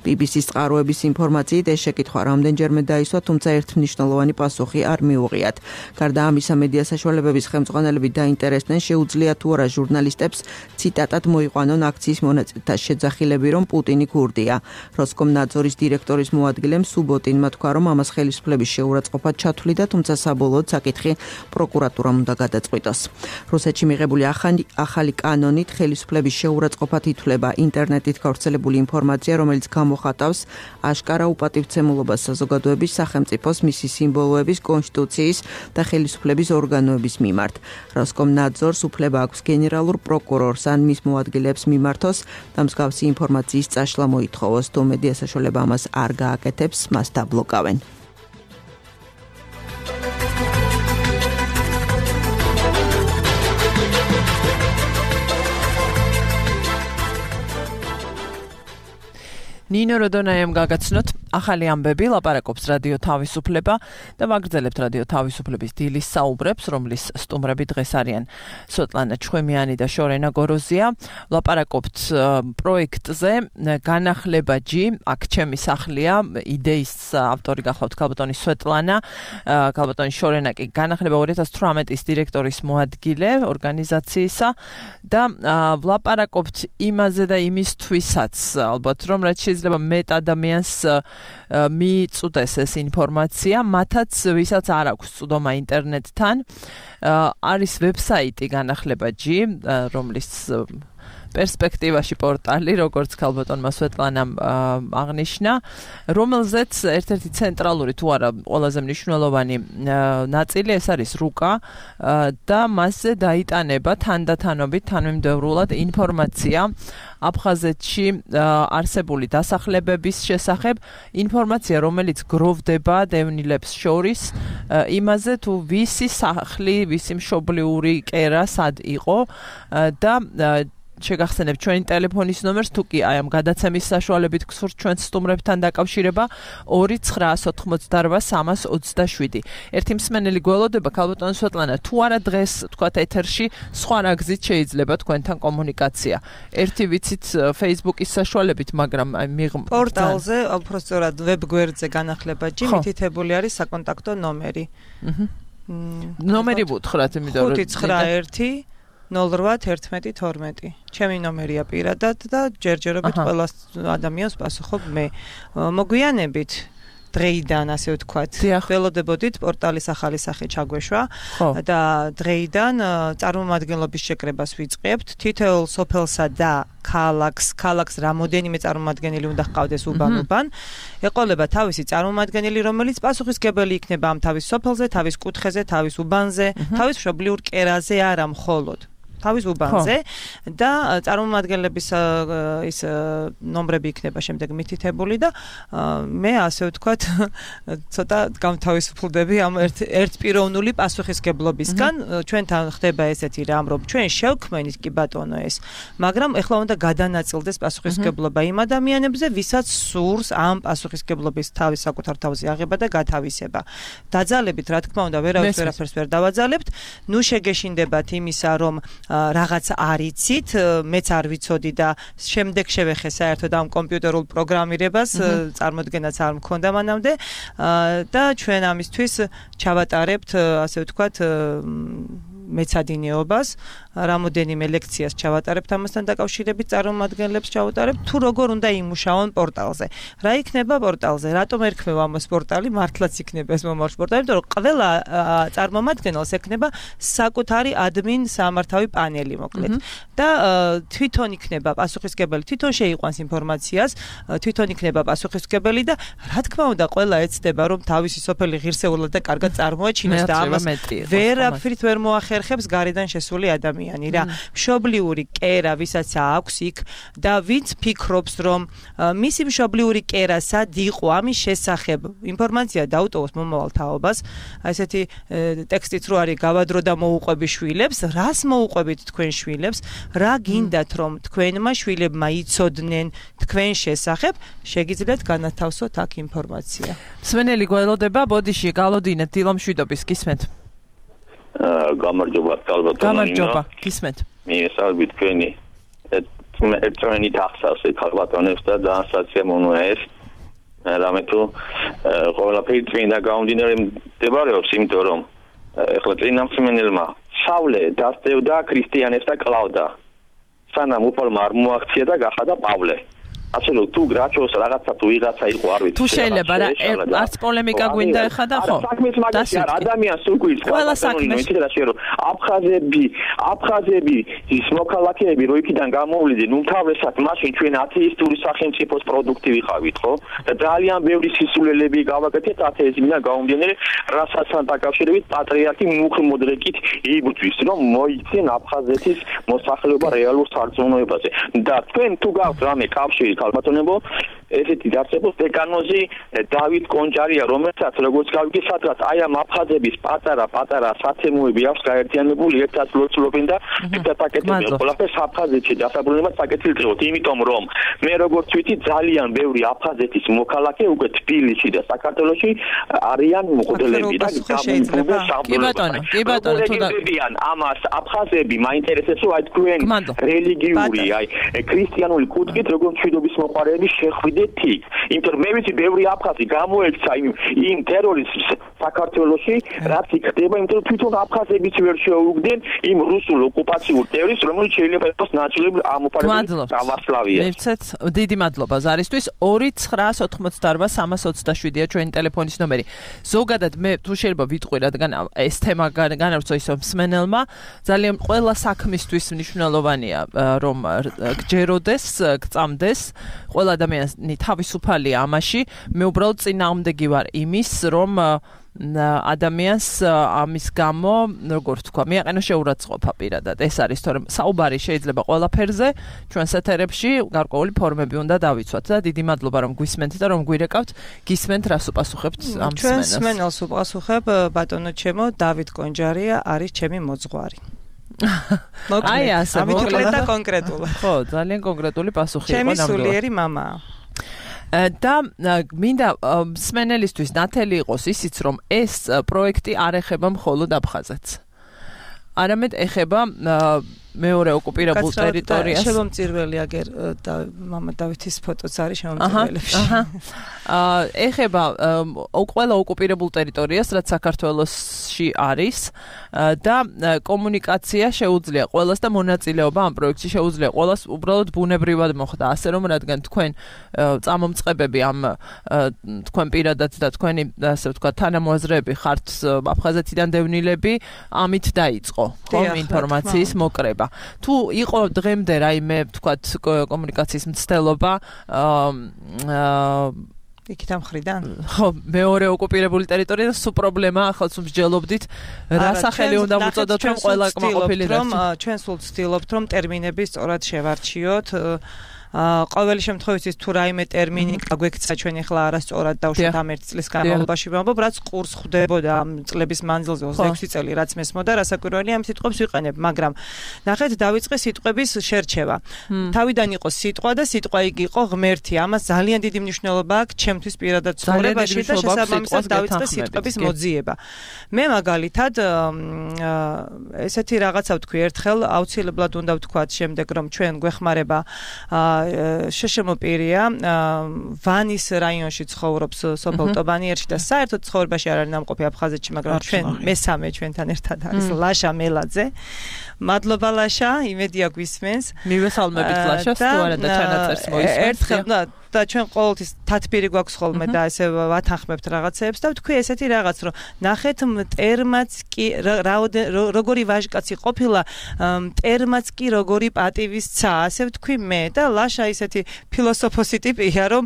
BBC-ს წყაროების ინფორმაციით ეს შეკითხვა რამდენჯერმე დაისვა, თუმცა ერთმნიშვნელოვანი პასუხი არ მიუღიათ. გარდა ამისა, მედია საშუალებების ხელმძღვანელები დაინტერესდნენ, შეუძლია თუ არა ჟურნალისტებს ციტატად მოიყვანონ აქციის მონაწილეთა შეძახილები, რომ პუტინი ქურდია. როსკომნაძორის დირექტორის მოადგილემ სუბოტინმა თქვა, რომ ამას ხელისუფლების შეურაცხყოფა ჩათვლიდა, თუმცა საბოლოოდ საკითხი პროკურატურამ უნდა გადაწყვიტოს. რუსეთში მიღებული ახალი კანონით ხელისუფლების შეურაცხყოფად ითვლება ინტერნეტით გავრცელებული ინფორმაცია, რომელიც გამოხატავს აშკარა უპატივცემულობას საზოგადოების, სახელმწიფოს, მისი სიმბოლოების, კონსტიტუციის და ხელისუფლების ორგანოების მიმართ. როსკომნაძორს უფლება აქვს გენერალურ პროკურორს ან მის მოადგილეებს მიმართოს და მსგავსი ინფორმაციის წაშლა მოითხოვოს. თუ მედია საშუალება ამას არ გააკეთებს, მას დაბლოკავენ.
ნინო როდონაიამ გაგაცნოთ ახალი ამბები, ლაპარაკობს რადიო თავისუფლება და ვაგრძელებთ რადიო თავისუფლების დილის საუბრებს, რომლის სტუმრები დღეს არიან სვეტლანა ჩხვემიანი და შორენა გოროზია. ლაპარაკობთ პროექტზე განახლებაჯი, აქ ჩემი სახლია, იდეის ავტორი გახლავთ ქალბატონი სვეტლანა, ქალბატონი შორენა კი განახლება 2018-ის დირექტორის მოადგილე ორგანიზაციისა და ვლაპარაკობთ იმაზე და იმისთვისაც, ალბათ რომ რაც შეიძლება მეტ ადამიანს მიიწუდეს ეს ინფორმაცია, მათაც ვისაც არ აქვს წვდომა ინტერნეტთან. არის ვებსაიტი განახლებაჯი, რომლის პერსპექტივაში პორტალი, როგორც ქალბატონმა სვეტლანამ აღნიშნა, რომელზეც ერთ-ერთი ცენტრალური თუ არა ყველაზე მნიშვნელოვანი ნაწილი ეს არის რუკა და მასზე დაიტანება თანდათანობით, თანმიმდევრულად ინფორმაცია აფხაზეთში არსებული დასახლებების შესახებ, ინფორმაცია, რომელიც გროვდება დევნილებს შორის, იმაზე თუ ვისი სახლი, ვისი მშობლიური კერა სად იყო და შეგახსენებთ ჩვენი ტელეფონის ნომერს, თუ კი აი ამ გადაცემის საშუალებით გსურთ ჩვენს სტუმრებთან დაკავშირება 2988327. ერთი მსმენელი გველოდება, ქალბატონი სვეტლანა, თუ არა დღეს თქვათ ეთერში სხვა რა გზით შეიძლება თქვენთან კომუნიკაცია. ერთი ვიცით Facebook-ის საშუალებით, მაგრამ
პორტალზე, უბრალოდ ვებგვერდზე განახლებაჯი მითითებული არის საკონტაქტო ნომერი.
ნომერი ვუთხრათ, იმიტომ რომ
591 081112. ჩემი ნომერია პირადად და ჯერჯერობით ყველა ადამიანს პასუხობ მე. მოგვიანებით დღეიდან, ასე ვთქვათ, ველოდებოდით პორტალის ახალი სახე ჩაგვეშვა და დღეიდან წარმომადგენლობის შეკრებას ვიწყებთ. თითოეულ სოფელსა და ქალაქს რამოდენიმე წარმომადგენელი უნდა ჰყავდეს უბან. ეყოლება თავისი წარმომადგენელი, რომელიც პასუხისმგებელი იქნება ამ თავის სოფელზე, თავის კუთხეზე, თავის უბანზე, თავის მშობლიურ კერაზე, არა მხოლოდ თავის უბანზე და წარმომადგენლების ის ნომრები იქნება შემდეგ მითითებული და მე ასე ვთქვათ ცოტა გამთავისუფლდები ამ ერთპიროვნული პასუხისმგებლობისგან. ჩვენთან ხდება ესეთი რამ, რომ ჩვენ შევქმნით კი ბატონო ეს, მაგრამ ეხლა უნდა გადანაწილდეს პასუხისმგებლობა იმ ადამიანებზე, ვისაც სურს ამ პასუხისმგებლობის თავის საკუთარ თავზე აღება და გათავისება. დაძალებით, რა თქმა უნდა, ვერაფერს ვერ დავაძალებთ. ნუ შეგეშინდებათ იმისა, რომ რაღაც არიცით, მეც არ ვიცოდი და შემდეგ შევეხე საერთოდ ამ კომპიუტერულ პროგრამირებას, წარმოდგენაც არ მქონდა მანამდე და ჩვენ ამისთვის ჩავატარებთ, ასე ვთქვათ, მეცადინეობას, რამოდენიმე ლექციას ჩავატარებთ ამასთან დაკავშირებით, წარმომადგენლებს ჩავატარებთ, თუ როგორ უნდა იმუშაონ პორტალზე. რა იქნება პორტალზე? რატომ ერქმევა ამას პორტალი? მართლაც იქნება ეს მომავალ პორტალი, იმიტომ რომ ყველა წარმომადგენელს ექნება საკუთარი ადმინ სამართავი პანელი მოკლედ. და თვითონ იქნება პასუხისმგებელი, თვითონ შეიყვანს ინფორმაციას, თვითონ იქნება პასუხისმგებელი და რა თქმა უნდა ყველა ეცდება რომ თავისი სოფელი ღირსეულად და კარგად წარმოაჩინოს და ამას ვერაფრით ვერ მოახერხებს გარედან შესული ადამიანი რა. მშობლიური კერა ვისაც აქვს იქ და ვინც ფიქრობს რომ მისი მშობლიური კერა სად იყო ამის შესახებ ინფორმაცია დაუტოვოს მომავალ თაობას, ესეთი ტექსტიც რო არის გავადრო და მოუყვები შვილებს, რას მოუყვებით თქვენ შვილებს, რა გინდათ რომ თქვენმა შვილებმა იცოდნენ თქვენ შესახებ, შეგიძლიათ განათავსოთ აქ ინფორმაცია.
მსმენელი გველოდება ბოდიში გალოდინეთ დილომშვიდობის გისმენთ.
გამარჯობა ალბათ.
გამარჯობა გისმენთ.
მიესალმებით თქვენი ერთმანეთი ახსავს ქალბატონებს და დაასაცია მონოა ეს. რამე თუ ყველაფერი წმინდა გამომდინარე მდებარეობს, იმიტომ რომ ეხლა წინა მსმენელმა სავლე დასდევდა ქრისტიანებს და კლავდა. სანამ უფალმა არ მოაქცია და გახადა პავლე. ასე რომ თუ გრაჩოს რაღაცა თუ ვიღაცა იყო არ ვიცი.
თუ შეიძლება რა არც პოლემიკა გვინდა ეხა და ხო?
ადამიანს უგვირს
ყველა საქმეს
რომ აფხაზები ის მოქალაქეები რო იქიდან გამოვლიდნენ უმთავრესად მაშინ ჩვენ ათეისტური სახელმწიფოს პროდუქტი ვიყავით ხო? და ძალიან ბევრი სისულელები გავაკეთეთ ათეიზმიდან გამომდინარე, რასაც დაკავშირებით პატრიარქი მუხმოდრეკით იბრძვის რომ მოიცენ აფხაზეთის მოსახლეობა რეალურ სარწმუნოებაზე. და თქვენ თუ გაქვთ რამე კავშირი ქალბატონებო, ესეთი დარწმუნების დეკანოზი დავით კონჯარია, რომელსაც როგორც გავიგე სადღაც აი ამ აფხაზების პატარა საცემოები აქვს გაერთიანებული, ერთად ლოცულობენ და ერთად აკეთებენ ყველაფერს აფხაზეთში დასაბრუნებლად საკეთილდღეოდ, იმიტომ რომ მე როგორც ვიცი ძალიან ბევრი აფხაზეთის მოქალაქე უკვე თბილისში და საქართველოში არიან მღვდლები და
კი ბატონო თუ
და ამას აფხაზები მაინტერესებს რომ აი თქვენ რელიგიური აი ქრისტიანული კუთხით როგორც მშვიდობის მოყარეები შეხვიდეთ იქ. იმიტომ რომ მე ვიცი ბევრი აფხაზი გამოექცა იმ ტერორიზმს საქართველოში, რაც იქ ხდება, იმიტომ რომ თვითონ აფხაზებიც ვერ შეუგდნენ იმ რუსულ ოკუპაციურ ტერორიზმს, რომელიც შეიძლება იყოს ნაწილობრივ ამოფარებული პრავოსლავია.
მივცეთ, დიდი მადლობა ზარისთვის. 2988327-ია ჩვენი ტელეფონის ნომერი. ზოგადად მე თუ შეიძლება ვიტყვი რადგან ეს თემა განავრცო ისო მსმენელმა, ძალიან ყველა საქმისთვის მნიშვნელოვანია რომ გჯეროდეს, გწამდეს, ყველა ადამიანი თავისუფალია ამაში. მე უბრალოდ წინააღმდეგი ვარ იმის, რომ ადამიანს ამის გამო, როგორ თქვა, მიაყენოს შეურაცხყოფა პირადად. ეს არის, თორემ საუბარი შეიძლება ყველაფერზე, ჩვენს ეთერებში გარკვეული ფორმები უნდა დავიცვათ და დიდი მადლობა რომ გვისმენთ და რომ გვირეკავთ. გისმენთ რას უპასუხებთ ამ მსმენელს?
ჩვენ მსმენელს უპასუხებ, ბატონო ჩემო, დავით კონჯარია არის ჩემი მოძღვარი.
აი ასე,
მოკლედ და კონკრეტულად.
ხო, ძალიან კონკრეტული პასუხი იყო
ნამდვილად. ჩემი სულიერი მამაა.
და მინდა მსმენელისთვის ნათელი იყოს ისიც, რომ ეს პროექტი არ ეხება მხოლოდ აფხაზეთს. არამედ ეხება მეორე ოკუპირებულ ტერიტორიას.
შემომწირველი აგერ და მამა დავითის ფოტოც არის შემომწირველებში.
ეხება ყველა ოკუპირებულ ტერიტორიას, რაც საქართველოში არის და კომუნიკაცია შეუძლია ყველას და მონაწილეობა ამ პროექტში შეუძლია ყველას უბრალოდ ბუნებრივად მოხდა. ასე რომ რადგან თქვენ წამომწყებები ამ თქვენ პირადად და თქვენი ასე ვთქვათ თანამოაზრეები ხართ აფხაზეთიდან დევნილები, ამით დაიწყო ხომ ინფორმაციის მოკრება. თუ იყო დღემდე რაიმე ვთქვათ კომუნიკაციის მცდელობა
იქით ამ ხრიდან?
ხო, მეორე ოკუპირებული ტერიტორია სულ პრობლემაა, ახლა სულ მსჯელობდით, რა სახელი უნდა მოწოდოთ რომ ყველა კმაყოფილი
რომ ჩვენ სულ ვცდილობთ რომ ტერმინები სწორად შევარჩიოთ. ყოველი შემთხვევაში თუ რაიმე ტერმინი გაგვექცა ჩვენ ახლა არასწორად დავუშვათ ამ 1 წლის განმავლობაში ვამბობ, რაც ყურს ხვდებოდა ამ წლების მანძილზე 26 წელი რაც მესმოდა, რასაკვირველია ამ სიტყვებს ვიყენებ, მაგრამ ნახეთ დავიწყე სიტყვების შერჩევა. თავიდან იყო სიტყვა და სიტყვა იგი იყო ღმერთი. ამას ძალიან დიდი მნიშვნელობა აქვს ჩემთვის პირადად ცხოვრებაში და შესაბამისად დავიწყე სიტყვების მოძიება. მე მაგალითად ესეთი რაღაცა ვთქვი ერთხელ, აუცილებლად უნდა ვთქვათ შემდეგ რომ ჩვენ გვეხმარება შშმ პირია, ვანის რაიონში ცხოვრობს სოფელ ტობანიერში და საერთოდ ცხოვრებაში არ არის ნამყოფი აფხაზეთში, მაგრამ ჩვენ მესამე ჩვენთან ერთად არის ლაშა მელაძე. მადლობა ლაშა, იმედია გვისმენს.
მივესალმებით ლაშას, თუ არა და ჩანაწერს მოისმენს.
ერთხელ და ჩვენ ყოველთვის თათბირი გვაქვს ხოლმე და ესე ვათანხმებთ რაღაცეებს და ვთქვი ესეთი რაღაც, რომ ნახეთ მტერმაც კი როგორი ვაჟკაცი ყოფილა, მტერმაც კი როგორი პატივისცა, ასე ვთქვი მე და ლაშა ისეთი ფილოსოფოსი ტიპია, რომ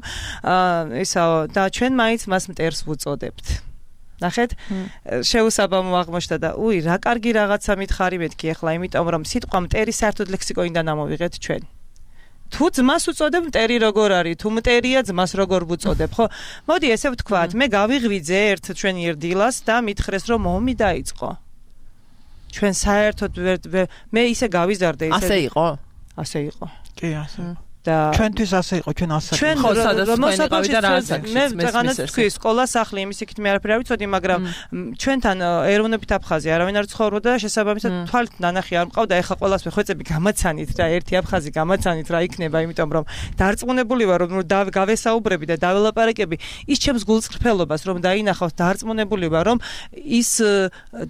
ისაო და ჩვენ მაინც მას მტერს ვუწოდებთ. ნახეთ, შეუსაბამო აღმოჩნდა და რა კარგი რაღაცა მითხარი მეთქი ახლა, იმიტომ რომ სიტყვა მტერი საერთოდ ლექსიკონიდან ამოვიღეთ ჩვენ. თუ ძმას უწოდებ მტერი როგორ არის, თუ მტერია ძმას როგორ ვუწოდებ, ხო? მოდი ესე ვთქვათ, მე გავიღვიძე ერთ ჩვენი ერდილას და მითხრეს რომ ომი დაიწყო. ჩვენ საერთოდ მე ისე გავიზარდე ისე.
ასე იყო?
ასე იყო.
კი, ასე.
და
ჩვენთვის ასე იყო, ჩვენ ასე.
ჩვენ
მოსაყავი და რა
მე წაღანაც თქვი სკოლა სახლი იმის იქით მე არაფერი არ ვიცოდი, მაგრამ ჩვენთან ეროვნებით აფხაზი არავინ არ ცხოვრობდა და შესაბამისად თვალით ნანახი არ მყავდა, ეხლა ყველას ვეხვეწები გამაცანით და ერთი აფხაზი გამაცანით რა იქნება, იმიტომ რომ დარწმუნებული ვარ რომ გავესაუბრები და დაველაპარაკები ის ჩემს გულწრფელობას რომ დაინახავს, დარწმუნებული ვარ რომ ის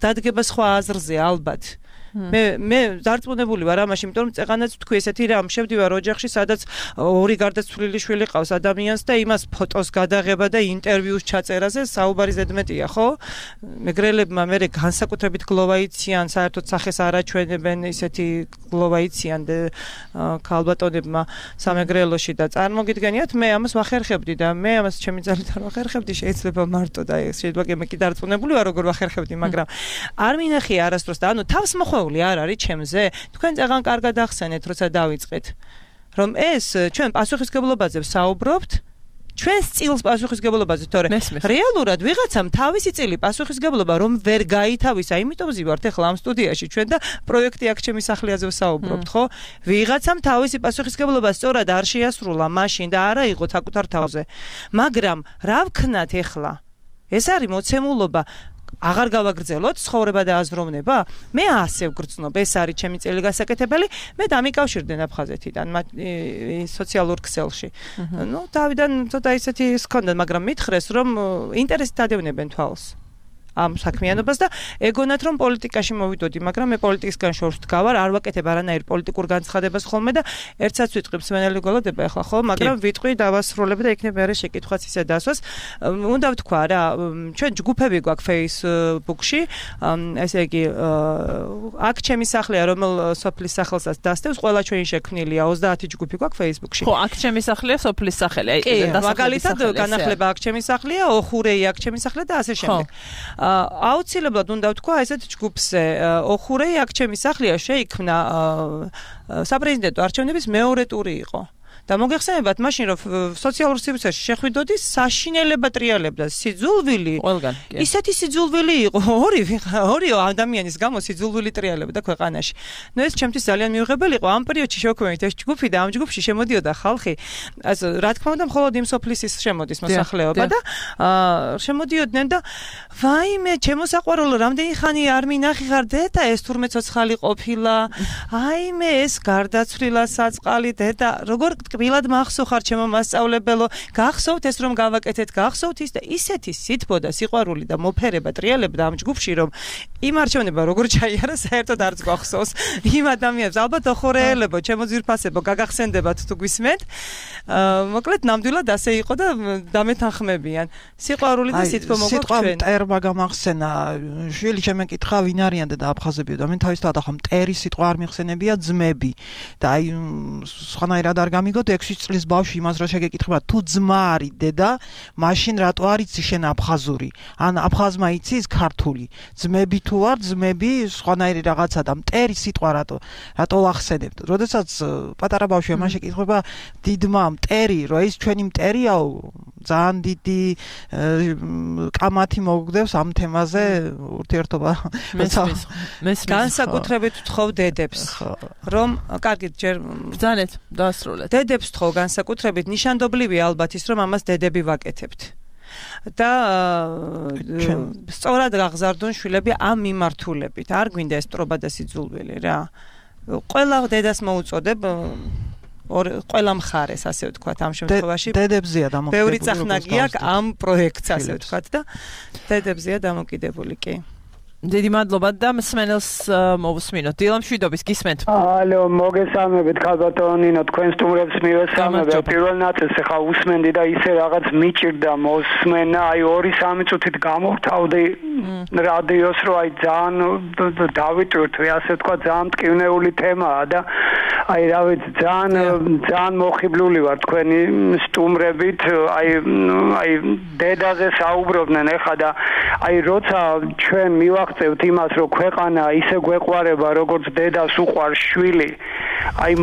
დადგება სხვა აზრზე ალბათ. მე დარწმუნებული ვარ ამაში, იმიტომ რომ წეღანაც თქვი ესეთი რამ შევდივარ ოჯახში, სადაც ორი გარდაცვლილი შვილი ყავს ადამიანს და იმას ფოტოს გადაღება და ინტერვიუს ჩაწერაზე საუბარი ზედმეტია, ხო? მეგრელებმა მე განსაკუთრებით გლოვაიციან, საერთოდ სახეს არაჩვენებენ ისეთი გლოვაიციან ქალბატონებმა სამეგრელოში და წარმოგიდგენიათ, მე ამას ვახერხებდი და მე ამას ჩემი ძალით არ ვახერხებდი, შეიძლება მარტო და შეიძლება მე კი დარწმუნებული ვარ როგორ ვახერხებდი, მაგრამ არ მინახია არასდროს და ანუ თავს მოხვეულ არ არის ჩემზე. თქვენ წაღან კარგად ახსენეთ, როცა დავიწყეთ, რომ ეს ჩვენ პასუხისგებლობაზე ვსაუბრობთ, ჩვენს წილს პასუხისგებლობაზე, თორე რეალურად ვიღაცამ თავისი წილი პასუხისგებლობა რომ ვერ გაითავისა, იმიტომ ვზივართ ახლა ამ სტუდიაში ჩვენ და პროექტი აქ ჩემი სახლიაზე ვსაუბრობთ, ხო? ვიღაცამ თავისი პასუხისგებლობა სწორად არ შეასრულა მაშინ და არა იყო საკუთარ თავზე. მაგრამ რა ვქნათ ახლა? ეს არის მოცემულობა აღარ გავაგრძელოთ ცხოვრება და აზროვნება? მე ასე ვგრძნობ, ეს არის ჩემი წელი გასაკეთებელი. მე დამიკავშირდნენ აფხაზეთიდან სოციალურ ქსელში. თავიდან ცოტა ისეთი ჰქონდა, მაგრამ მითხრეს რომ ინტერესით ადევნებენ თვალს ამ საქმიანობას და ეგონათ რომ პოლიტიკაში მოვიდოდი, მაგრამ მე პოლიტიკისგან შორს ვდგავარ, არ ვაკეთებ არანაირ პოლიტიკურ განცხადებას ხოლმე და ერთსაც ვიტყვი მსმენელი გველოდება ახლა ხო, მაგრამ ვიტყვი დავასრულებ და იქნებ არის შეკითხვაც ისე დასვას. უნდა ვთქვა რა, ჩვენ ჯგუფები გვაქვს Facebook-ში, ესე იგი აქ ჩემი სახლია, რომელ სოფლის სახელსაც დასდევს, ყველა ჩვენი შექმნილია, 30 ჯგუფი გვაქვს Facebook-ში.
ხო, აქ ჩემი სახლია სოფლის სახელი.
მაგალითად განახლება აქ ჩემი სახლია, ოხურეი აქ ჩემი სახლია და ასე შემდეგ. აუცილებლად უნდა ვთქვა ესეთ ჯგუფზე ოხურეი აქ ჩემი სახლია შეიქმნა საპრეზიდენტო არჩევნების მეორე ტური იყო. და მოგეხსენებათ მაშინ რომ სოციალურ სივრცეში შეხვიდოდი საშინელება ტრიალებდა სიძულვილი
ყველგან
ისეთი სიძულვილი იყო ორი ადამიანის გამო სიძულვილი ტრიალებდა ქვეყანაში. ნუ ეს ჩემთვის ძალიან მიუღებელი იყო ამ პერიოდში შევქმნით ეს ჯგუფი და ამ ჯგუფში შემოდიოდა ხალხი ასე რა თქმა უნდა მხოლოდ იმ სოფლის შემოდის მოსახლეობა და შემოდიოდნენ და ვაიმე ჩემო საყვარელო რამდენი ხანი არ მინახი ხარ დედა ეს თურმე ცოცხალი ყოფილა აიმე ეს გარდაცვლილა საწყალი დედა როგორ კბილად მახსოვხარ ჩემო მასწავლებელო გახსოვთ ეს რომ გავაკეთეთ გახსოვთ ის და ისეთი სითბო და სიყვარული და მოფერება ტრიალებდა ამ ჯგუფში რომ იმ არჩევნება როგორ ჩაიარა საერთოდ არც გახსოვს იმ ადამიანებს ალბათ ოხორეელებო ჩემო ძვირფასებო გაგახსენდებათ თუ გვისმენთ მოკლედ ნამდვილად ასე იყო და დამეთანხმებიან სიყვარული და სითბო მოგოქვთ ჩვენ
მტერმა გამახსენა შვილი შემეკითხა ვინ არიან და აფხაზებიო და მე თავისთავად ახლა მტერი სიტყვა არ მიხსენებია ძმები და აი სხვანაირად არ გამიგოთ 6 წლის ბავშვი იმას რა შეგეკითხება თუ ძმა არის დედა მაშინ რატო არ იცი შენ აფხაზური ან აფხაზმა იცის ქართული ძმები თუ არ ძმები სხვანაირი რაღაცა და მტერი სიტყვა რატო ახსენებთ როდესაც პატარა ბავშვია მაშინ შეკითხება დიდმა მტერი რა ის ჩვენი მტერიაო ძალიან დიდი კამათი მოგდევს ამ თემაზე ურთიერთობა
განსაკუთრებით ვთხოვ დედებს რომ კარგით ჯერ
ბრძანეთ დაასრულეთ
დედებს ვთხოვ განსაკუთრებით ნიშანდობლივია ალბათ ის რომ ამას დედები ვაკეთებთ და სწორად გაღზარდონ შვილები ამ მიმართულებით არ გვინდა ეს ტრობა და სიძულვილი რა ყველა დედას მოუწოდებ ყველა მხარეს, ასე ვთქვათ, ამ შემთხვევაში.
დედებზეა დამოკიდებული.
ბევრი წახნაგი აქვს ამ პროექტს, ასე ვთქვათ და დედებზეა დამოკიდებული კი.
დიდი მადლობა და მსმენელს მოვუსმინოთ. დილა მშვიდობის გისმენთ.
ალო, მოგესალმებით ქალბატონინო, თქვენ სტუმრებს მივესალმებ. პირველ ნაწილს ახლა უსმენდი და ისე რაღაც მიჭირდა მოსმენა, აი 2-3 წუთით გამოვთავდი რადიოს, რომ აი ძალიან დავიტვირთვი, ასე ვთქვა, ძალიან მტკივნეული თემაა და აი რა ვიცი, ძალიან მოხიბლული ვარ თქვენი სტუმრებით, აი დედაზე საუბრობდნენ ახლა და აი როცა ჩვენ მივახცევთ იმას, რომ ქვეყანა ისე გვეყვარება, როგორც დედას უყვარს შვილი, აი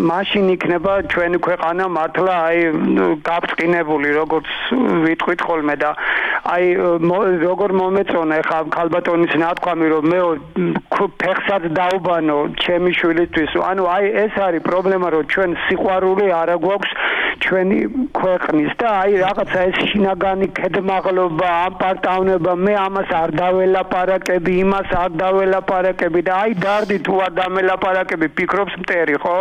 მაშინ იქნება ჩვენი ქვეყანა მართლა აი გაბრწყინებული, როგორც ვიტყვით ხოლმე და აი როგორ მომეწონა ახლა ქალბატონის ნათქვამი, რომ მე ფეხსაც დაუბანო ჩემი შვილისთვის, ანუ აი ეს არის პრობლემა, რომ ჩვენ სიყვარული არ გვაქვს ჩვენი ქვეყნის და აი რაღაცა ეს შინაგანი ქედმაღლობა, ამპარტავნება, მე ამას არ დაველაპარაკები, იმას არ დაველაპარაკები და აი დარდი თუ არ დამელაპარაკები, ფიქრობს მტერი, ხო?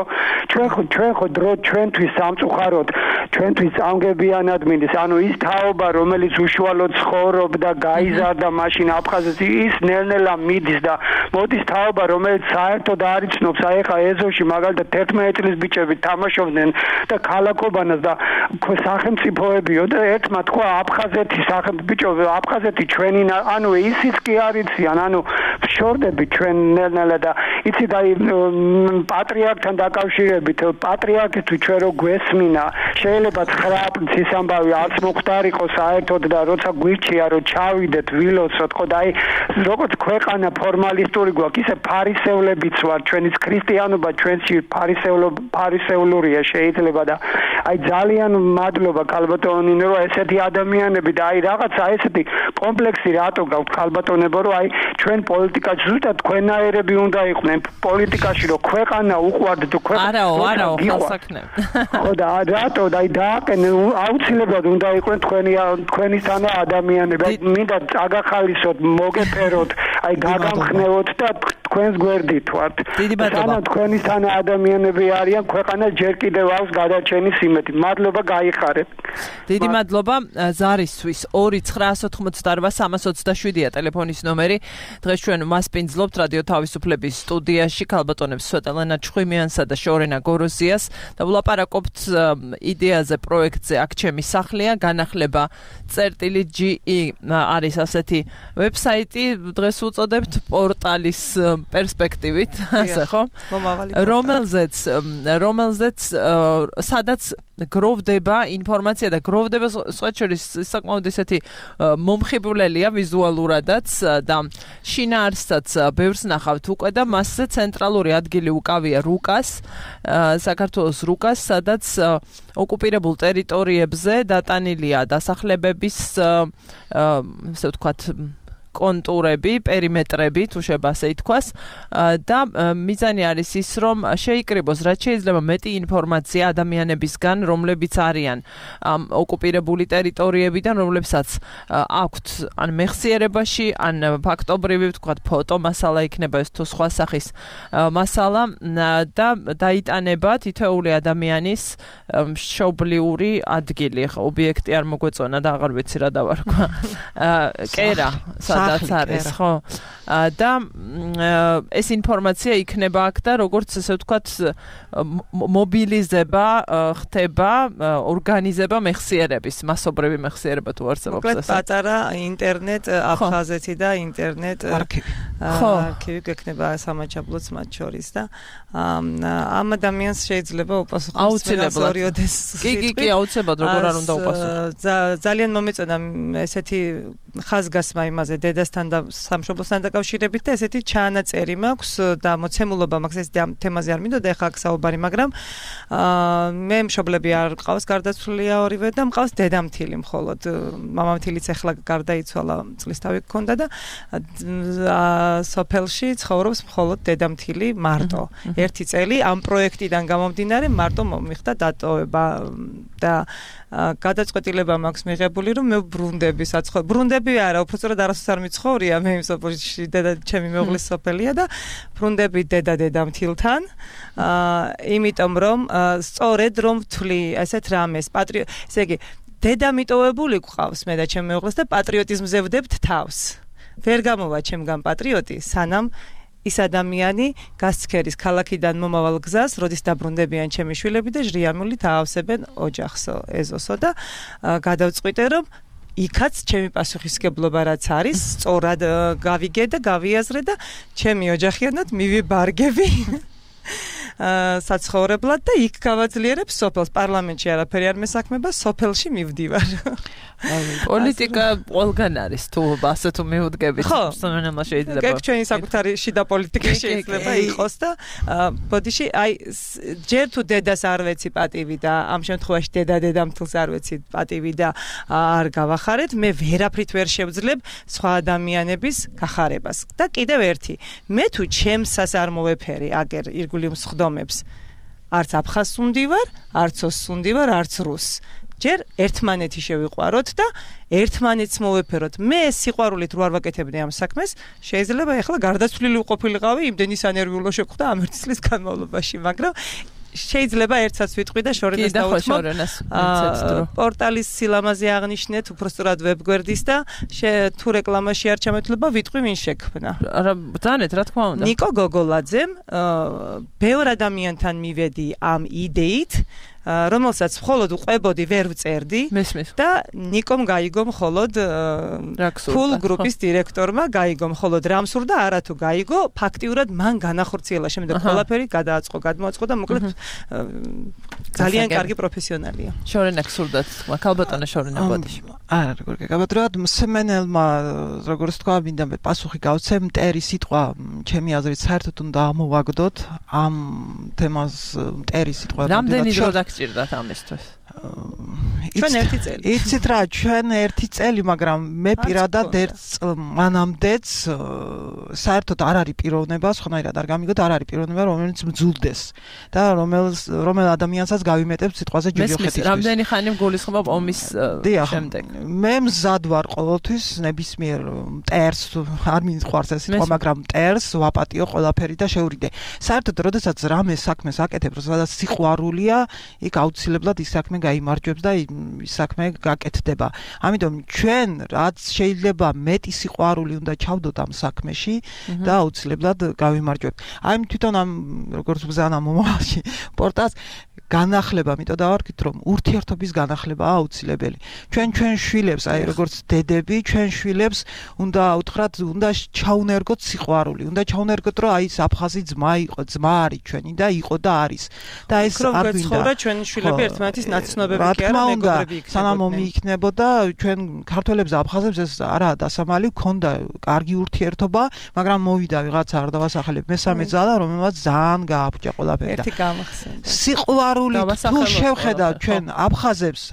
ჩვენ ხო დრო ჩვენთვის სამწუხაროდ, ჩვენთვის წამგებიანად მინდის, ანუ ის თაობა, რომელიც უშუალოდ ცხოვრობდა, გაიზარდა მაშინ აფხაზეთში, ის ნელ-ნელა მიდის და მოდის თაობა, რომელიც საერთოდ არ იცნობს, აი ხა ეზოში მაგალითად 11 წლის ბიჭები თამაშობდნენ და ქალაქობანას და სახელმწიფოებიო და ერთმა თქვა აფხაზეთი სახელმწიფო აფხაზეთი ჩვენი ანუ ისიც კი არ იციან, ანუ შორდები ჩვენ ნელ-ნელა და იცით აი პატრიარქთან დაკავშირებით, პატრიარქი ჩვენ რო გვესმინა, შეიძლება 9 წლის ამბავი არც მოხდარიყო საერთოდ და როცა გვირჩია რომ ჩავიდეთ ვილოცოთ, ხო და აი როგორც ქვეყანა ფორმალისტური გვაქვს, ისე ფარისევლებიც ვარ, ჩვენიც ქრისტიანობა ჩვენში ფარისეულურია შეიძლება და აი ძალიან მადლობა ქალბატონინო, რომ ესეთი ადამიანები და აი რაღაცა ესეთი კომპლექსი რატო გაქვთ ქალბატონებო, რომ აი ჩვენ პოლიტიკაში ზუსტად თქვენაერები უნდა იყვნენ პოლიტიკაში, რომ ქვეყანა უყვარდეთ თუ ქვეყანა
არაო ხელსაქმე
ხო და რატო და აი დააყენენ აუცილებლად უნდა იყვნენ თქვენისთანა ადამიანები, აი მინდა წაგახალისოთ, მოგეფეროთ, აი გაგამხნევოთ და თქვენს გვერდით ვართ.
სანამ
თქვენისთანა ადამიანები არიან, ქვეყანა ჯერ კიდევ აქვს გადარჩენის იმედი. მადლობა, გაიხარეთ.
დიდი მადლობა. ზარისთვის 2-988-327-ია ტელეფონის ნომერი. დღეს ჩვენ მასპინძლობთ რადიო თავისუფლების სტუდიაში ქალბატონებს სვეტელენა ჩხვიმიანსა და შორენა გოროზიას და ვლაპარაკობთ იდეაზე, პროექტზე აქ ჩემი სახლია, განახლება წერტილი.ge არის ასეთი ვებსაიტი, დღეს უწოდებთ პორტალის პერსპექტივით, ასე ხო? რომელზეც სადაც გროვდება ინფორმაცია და გროვდება სწორედ საკმაოდ ესეთი მომხიბვლელია ვიზუალურადაც და შინაარსსაც ბევრს ნახავთ უკვე და მასზე ცენტრალური ადგილი უკავია რუკას, საქართველოს რუკას, სადაც ოკუპირებულ ტერიტორიებზე დატანილია დასახლებების ასე ვთქვათ კონტურები, პერიმეტრები, თუ შეიძლება ასე ითქვას, და მიზანი არის ის, რომ შეიკრიბოს რაც შეიძლება მეტი ინფორმაცია ადამიანებისგან, რომლებიც არიან ოკუპირებული ტერიტორიებიდან, რომლებსაც აქვთ ან მეხსიერებაში, ან ფაქტობრივი, ვთქვათ, ფოტო მასალა იქნება ეს თუ სხვა სახის მასალა და დაიტანება თითოეული ადამიანის მშობლიური ადგილი, ობიექტი არ მოგვეწონა და აღარ ვიცი რა დავარქვა. კერა სადაც არის, ხო? და ეს ინფორმაცია იქნება აქ და როგორც ესე ვთქვათ მობილიზება ხდება, ორგანიზება მეხსიერების, მასობრივი მეხსიერება თუ არსებობს
ასე. პატარა ინტერნეტ აფხაზეთი და ინტერნეტ არქივი გექნება სამაჯაბლოც მათ შორის და ამ ადამიანს შეიძლება უპასუხოს ორიოდეს.
კი, აუცილებლად როგორ არ უნდა უპასუხოს.
ძალიან მომეწონა ესეთი ხაზგასმა იმაზე დედასთან და სამშობლოსთან დაკავშირებით და ესეთი ჩანაწერი მაქვს და მოცემულობა მაქვს ეს თემაზე არ მინდოდა ახლა აქ საუბარი, მაგრამ მე მშობლები არ ყავს, გარდაცვლილია ორივე და მყავს დედამთილი მხოლოდ. მამამთილიც ახლა გარდაიცვალა, წლისთავი გქონდა და სოფელში ცხოვრობს მხოლოდ დედამთილი მარტო. ერთი წელი ამ პროექტიდან გამომდინარე მარტო მომიხდა დატოვება და გადაწყვეტილება მაქვს მიღებული, რომ მე ბრუნდები საცხოვრებლად. ბრუნდები არა, უბრალოდ არასოდეს არ მიცხოვრია, მე იმ სოფელში დედა ჩემი მეუღლის სოფელია და ბრუნდები დედამთილთან. იმიტომ რომ სწორედ რომ ვთვლი ესეთ რამეს, ესე იგი დედა მიტოვებული გვყავს მე და ჩემი მეუღლეს და პატრიოტიზმზე ვდებთ თავს. ვერ გამოვა ჩემგან პატრიოტი, სანამ ის ადამიანი გასცქერის ქალაქიდან მომავალ გზას, როდის დაბრუნდებიან ჩემი შვილები და ჟრიამულით აავსებენ ოჯახსო, ეზოსო და გადავწყვიტე რომ იქაც ჩემი პასუხისგებლობა რაც არის, სწორად გავიგე და გავიაზრე და ჩემი ოჯახიანად მივიბარგები საცხოვრებლად და იქ გავაძლიერებ სოფელს. პარლამენტში არაფერი არ მესაქმება, სოფელში მივდივარ.
პოლიტიკა ყველგან არის, თუ ასე თუ მივუდგებით, სანამ შეიძლება.
ეგ ჩვენი საკუთარი შიდა პოლიტიკა შეიძლება იყოს და ბოდიში, აი ჯერ თუ დედას არ ვეცი პატივი და ამ შემთხვევაში დედამთილს არ ვეცი პატივი და არ გავახარეთ, მე ვერაფრით ვერ შევძლებ სხვა ადამიანების გახარებას. და კიდევ ერთი, მე თუ ჩემსას არ მოვეფერი აგერ ირგვლივ მსხდომებს, არც აფხაზს უნდივარ, არც ოსს უნდივარ, არც რუსს. ჯერ ერთმანეთი შევიყვაროთ და ერთმანეთს მოვეფეროთ. მე სიყვარულით რო არ ვაკეთებდი ამ საქმეს, შეიძლება ეხლა გარდაცვლილი ყოფილიყავი იმდენი სანერვიულო შეხვდა ამ ერთი წლის განმავლობაში, მაგრამ შეიძლება ერთსაც ვიტყვი და შორენას დავუთმო. პორტალის სილამაზე აღნიშნეთ, უბრალოდ ვებგვერდის და თუ რეკლამაში არ ჩამეთვლება, ვიტყვი ვინ შექმნა.
არა, ბრძანეთ, რა თქმა უნდა.
ნიკო გოგოლაძემ ბევრ ადამიანთან მივედი ამ იდეით, რომელსაც მხოლოდ უყვებოდი, ვერ ვწერდი და ნიკომ გაიგო მხოლოდ ფულ გრუპის დირექტორმა გაიგო მხოლოდ რა მსურდა, არა თუ გაიგო, ფაქტიურად მან განახორციელა, შემდეგ ყველაფერი გადააწყო, გადმოაწყო და მოკლედ ძალიან კარგი პროფესიონალია.
შორენა გსურდათ, ქალბატონო შორენა ბოდიში.
არა, როგორ გეკაბატრად, მსმენელმა, როგორც თქვა, მინდა მე პასუხი გავცემ, მტერი სიტყვა, ჩემი აზრით, საერთოდ უნდა ამოვაგდოთ ამ თემას, მტერი სიტყვა.
რამდენი დრო დაგჭირდათ ამისთვის?
ჩვენ ერთი წელი.
იცით რა, ჩვენ ერთი წელი, მაგრამ მე პირადად მანამდეც საერთოდ არ არის პიროვნება, სხვანაირად არ გამიგოთ, არ არის პიროვნება, რომელიც მძულდეს და რომელ ადამიანსაც გავიმეტებ სიტყვაზე ჯოჯოხეთისთვის.
რამდენი ხანი მგულისხმობ ომის შემდეგ?
მე მზად ვარ ყოველთვის ნებისმიერ მტერს, არ მიყვარს ეს სიტყვა, მაგრამ მტერს ვაპატიო ყველაფერი და შევრიდე. საერთოდ, როდესაც რამე საქმეს აკეთებ, სადაც სიყვარულია, იქ აუცილებლად ის საქმე გაიმარჯვებს და ის საქმე გაკეთდება. ამიტომ ჩვენ რაც შეიძლება მეტი სიყვარული უნდა ჩავდოთ ამ საქმეში და აუცილებლად გავიმარჯვებთ. აი თვითონ ამ როგორც ბზანა მომავალში პორტალს განახლება, მითო დავარქით, რომ ურთიერთობის განახლებაა აუცილებელი. ჩვენ შვილებს, აი როგორც დედები, ჩვენ შვილებს უნდა უთხრათ, უნდა ჩაუნერგოთ სიყვარული, უნდა ჩაუნერგოთ, რომ აი ეს აფხაზი ძმა იყო, ძმა არის ჩვენი და იყო და არის. და ეს არ
გვინდა. ჩვენ შვილები ერთმანეთის ნაცნობები კი არა, მეგობრები იქნებოდნენ.
სანამ ომი იქნებოდა, ჩვენ ქართველებს და აფხაზებს ეს არაა დასამალი, ქონდა კარგი ურთიერთობა, მაგრამ მოვიდა ვიღაცა არ დავასახელებ მესამე ძალა, რომელმაც ძალიან გააფუჭა ყველაფერი.
ერთი გამახსენდა.
სიყვარული თუ შევხედავ ჩვენ აფხაზებს,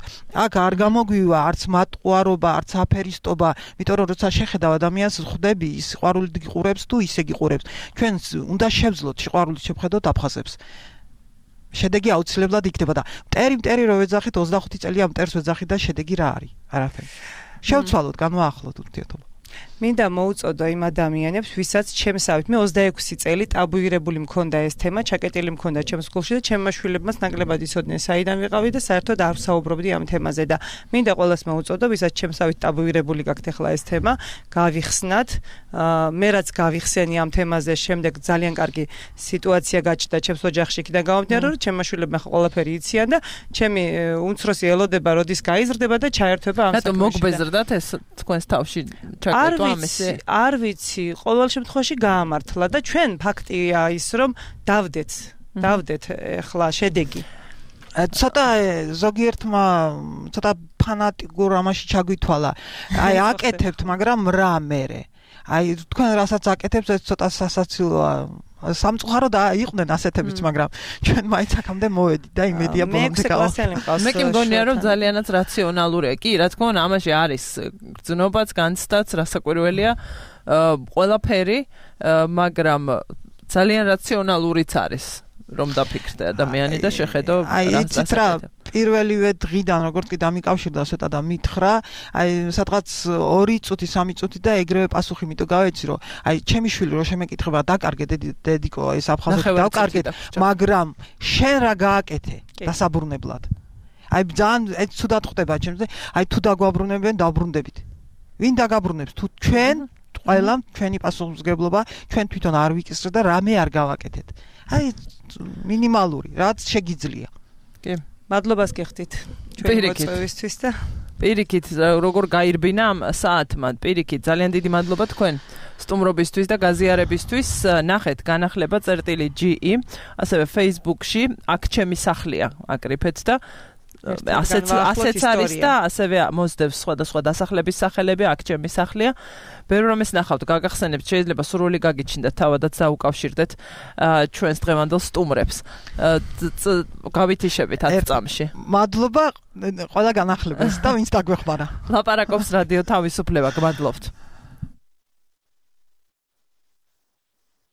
აქ არ გამოგვივა არც მატყუარობა, არც აფერისტობა, იმიტომ რომ როცა შეხედავ ადამიანს ხვდები, ის სიყვარულით გიყურებს თუ ისე გიყურებს. ჩვენ უნდა შევძლოთ სიყვარულით შევხედოთ აფხაზებს. შედეგი აუცილებლად იქნება და მტერი რო ვეძახით 25 წელია მტერს ვეძახით და შედეგი რა არის? არაფერი. შევცვალოთ, განვაახლოთ ურთიერთობა.
მინდა მოუწოდო იმ ადამიანებს, ვისაც ჩემსავით მე 26 წელი ტაბუირებული მქონდა ეს თემა, ჩაკეტილი მქონდა ჩემს გულში და ჩემმა შვილებმაც ნაკლებად იცოდნენ საიდან ვიყავი და საერთოდ არ ვსაუბრობდი ამ თემაზე და მინდა ყველას მოუწოდო, ვისაც ჩემსავით ტაბუირებული გაქვთ ახლა ეს თემა, გავიხსნათ. მე რაც გავიხსენი ამ თემაზე, შემდეგ ძალიან კარგი სიტუაცია გაჩნდა ჩემს ოჯახში, იქიდან გამომდინარე, რომ ჩემმა შვილებმა ყველაფერი იციან და ჩემი უმცროსი ელოდება, როდის გაიზრდება და ჩაერთვება ამ საქმეში.
რატომ მოგბეზრდათ ეს თქვენს თავში?
არ ვიცი, ყოველ შემთხვევაში გაამართლა და ჩვენ ფაქტია ის, რომ დავდეთ ახლა შედეგი.
ცოტა ზოგიერთმა ცოტა ფანატიკურ ამაში ჩაგვითვალა. აი აკეთებთ, მაგრამ რა მერე? აი თქვენ რასაც აკეთებთ, ეს ცოტა სასაცილოა. სამწუხაროდ იყვნენ ასეთებიც, მაგრამ ჩვენ მაინც აქამდე მოვედით და იმედია ბოლომდე გავახსენოთ.
მე კი მგონია, რომ ძალიანაც რაციონალურია. კი, რა თქმა უნდა, ამაში არის გრძნობაც, განცდაც, რასაკვირველია, ყველაფერი, მაგრამ ძალიან რაციონალურიც არის. რომ დაფიქრდე ადამიანი და შეხედო
აი იცით რა პირველივე დღიდან როგორც კი დამიკავშირდა ცოტა და მითხრა, აი სადღაც 2 წუთი, 3 წუთი და ეგრევე პასუხი მიტო გავეცი, რომ აი ჩემი შვილი რო შემეკითხება დაკარგე დედიკო ეს აფხაზეთი დავკარგეთ, მაგრამ შენ რა გააკეთე დასაბრუნებლად. აი ძალიან ცუდად ხდება ჩემზე, აი თუ დაგვაბრუნებენ, დავბრუნდებით. ვინ დაგაბრუნებს თუ ჩვენ ყველა ჩვენი პასუხისმგებლობა ჩვენ თვითონ არ ვიკისრეთ და რამე არ გავაკეთეთ. აი მინიმალური რაც შეგიძლია.
კი.
მადლობას გიხდით ჩვენი მოწვევისთვის და
პირიქით როგორ გაირბინა ამ საათმა. პირიქით ძალიან დიდი მადლობა თქვენ სტუმრობისთვის და გაზიარებისთვის. ნახეთ განახლება წერტილი.ge, ასევე Facebook-ში აქ ჩემი სახლია აკრიფეთ და ასეც არის და ასევე მოსდევს სხვადასხვა დასახლების სახელები, აქ ჩემი სახლია. ბევრი რამეს ნახავთ, გაგახსენებთ, შეიძლება სრული გაგიჩნდეთ, თავადაც დაუკავშირდეთ ჩვენს დღევანდელ სტუმრებს. გავითიშებით 10 წამში.
მადლობა ყველა განახლებას და ვინც დაგვეხმარა.
ლაპარაკობს რადიო თავისუფლება, გმადლობთ.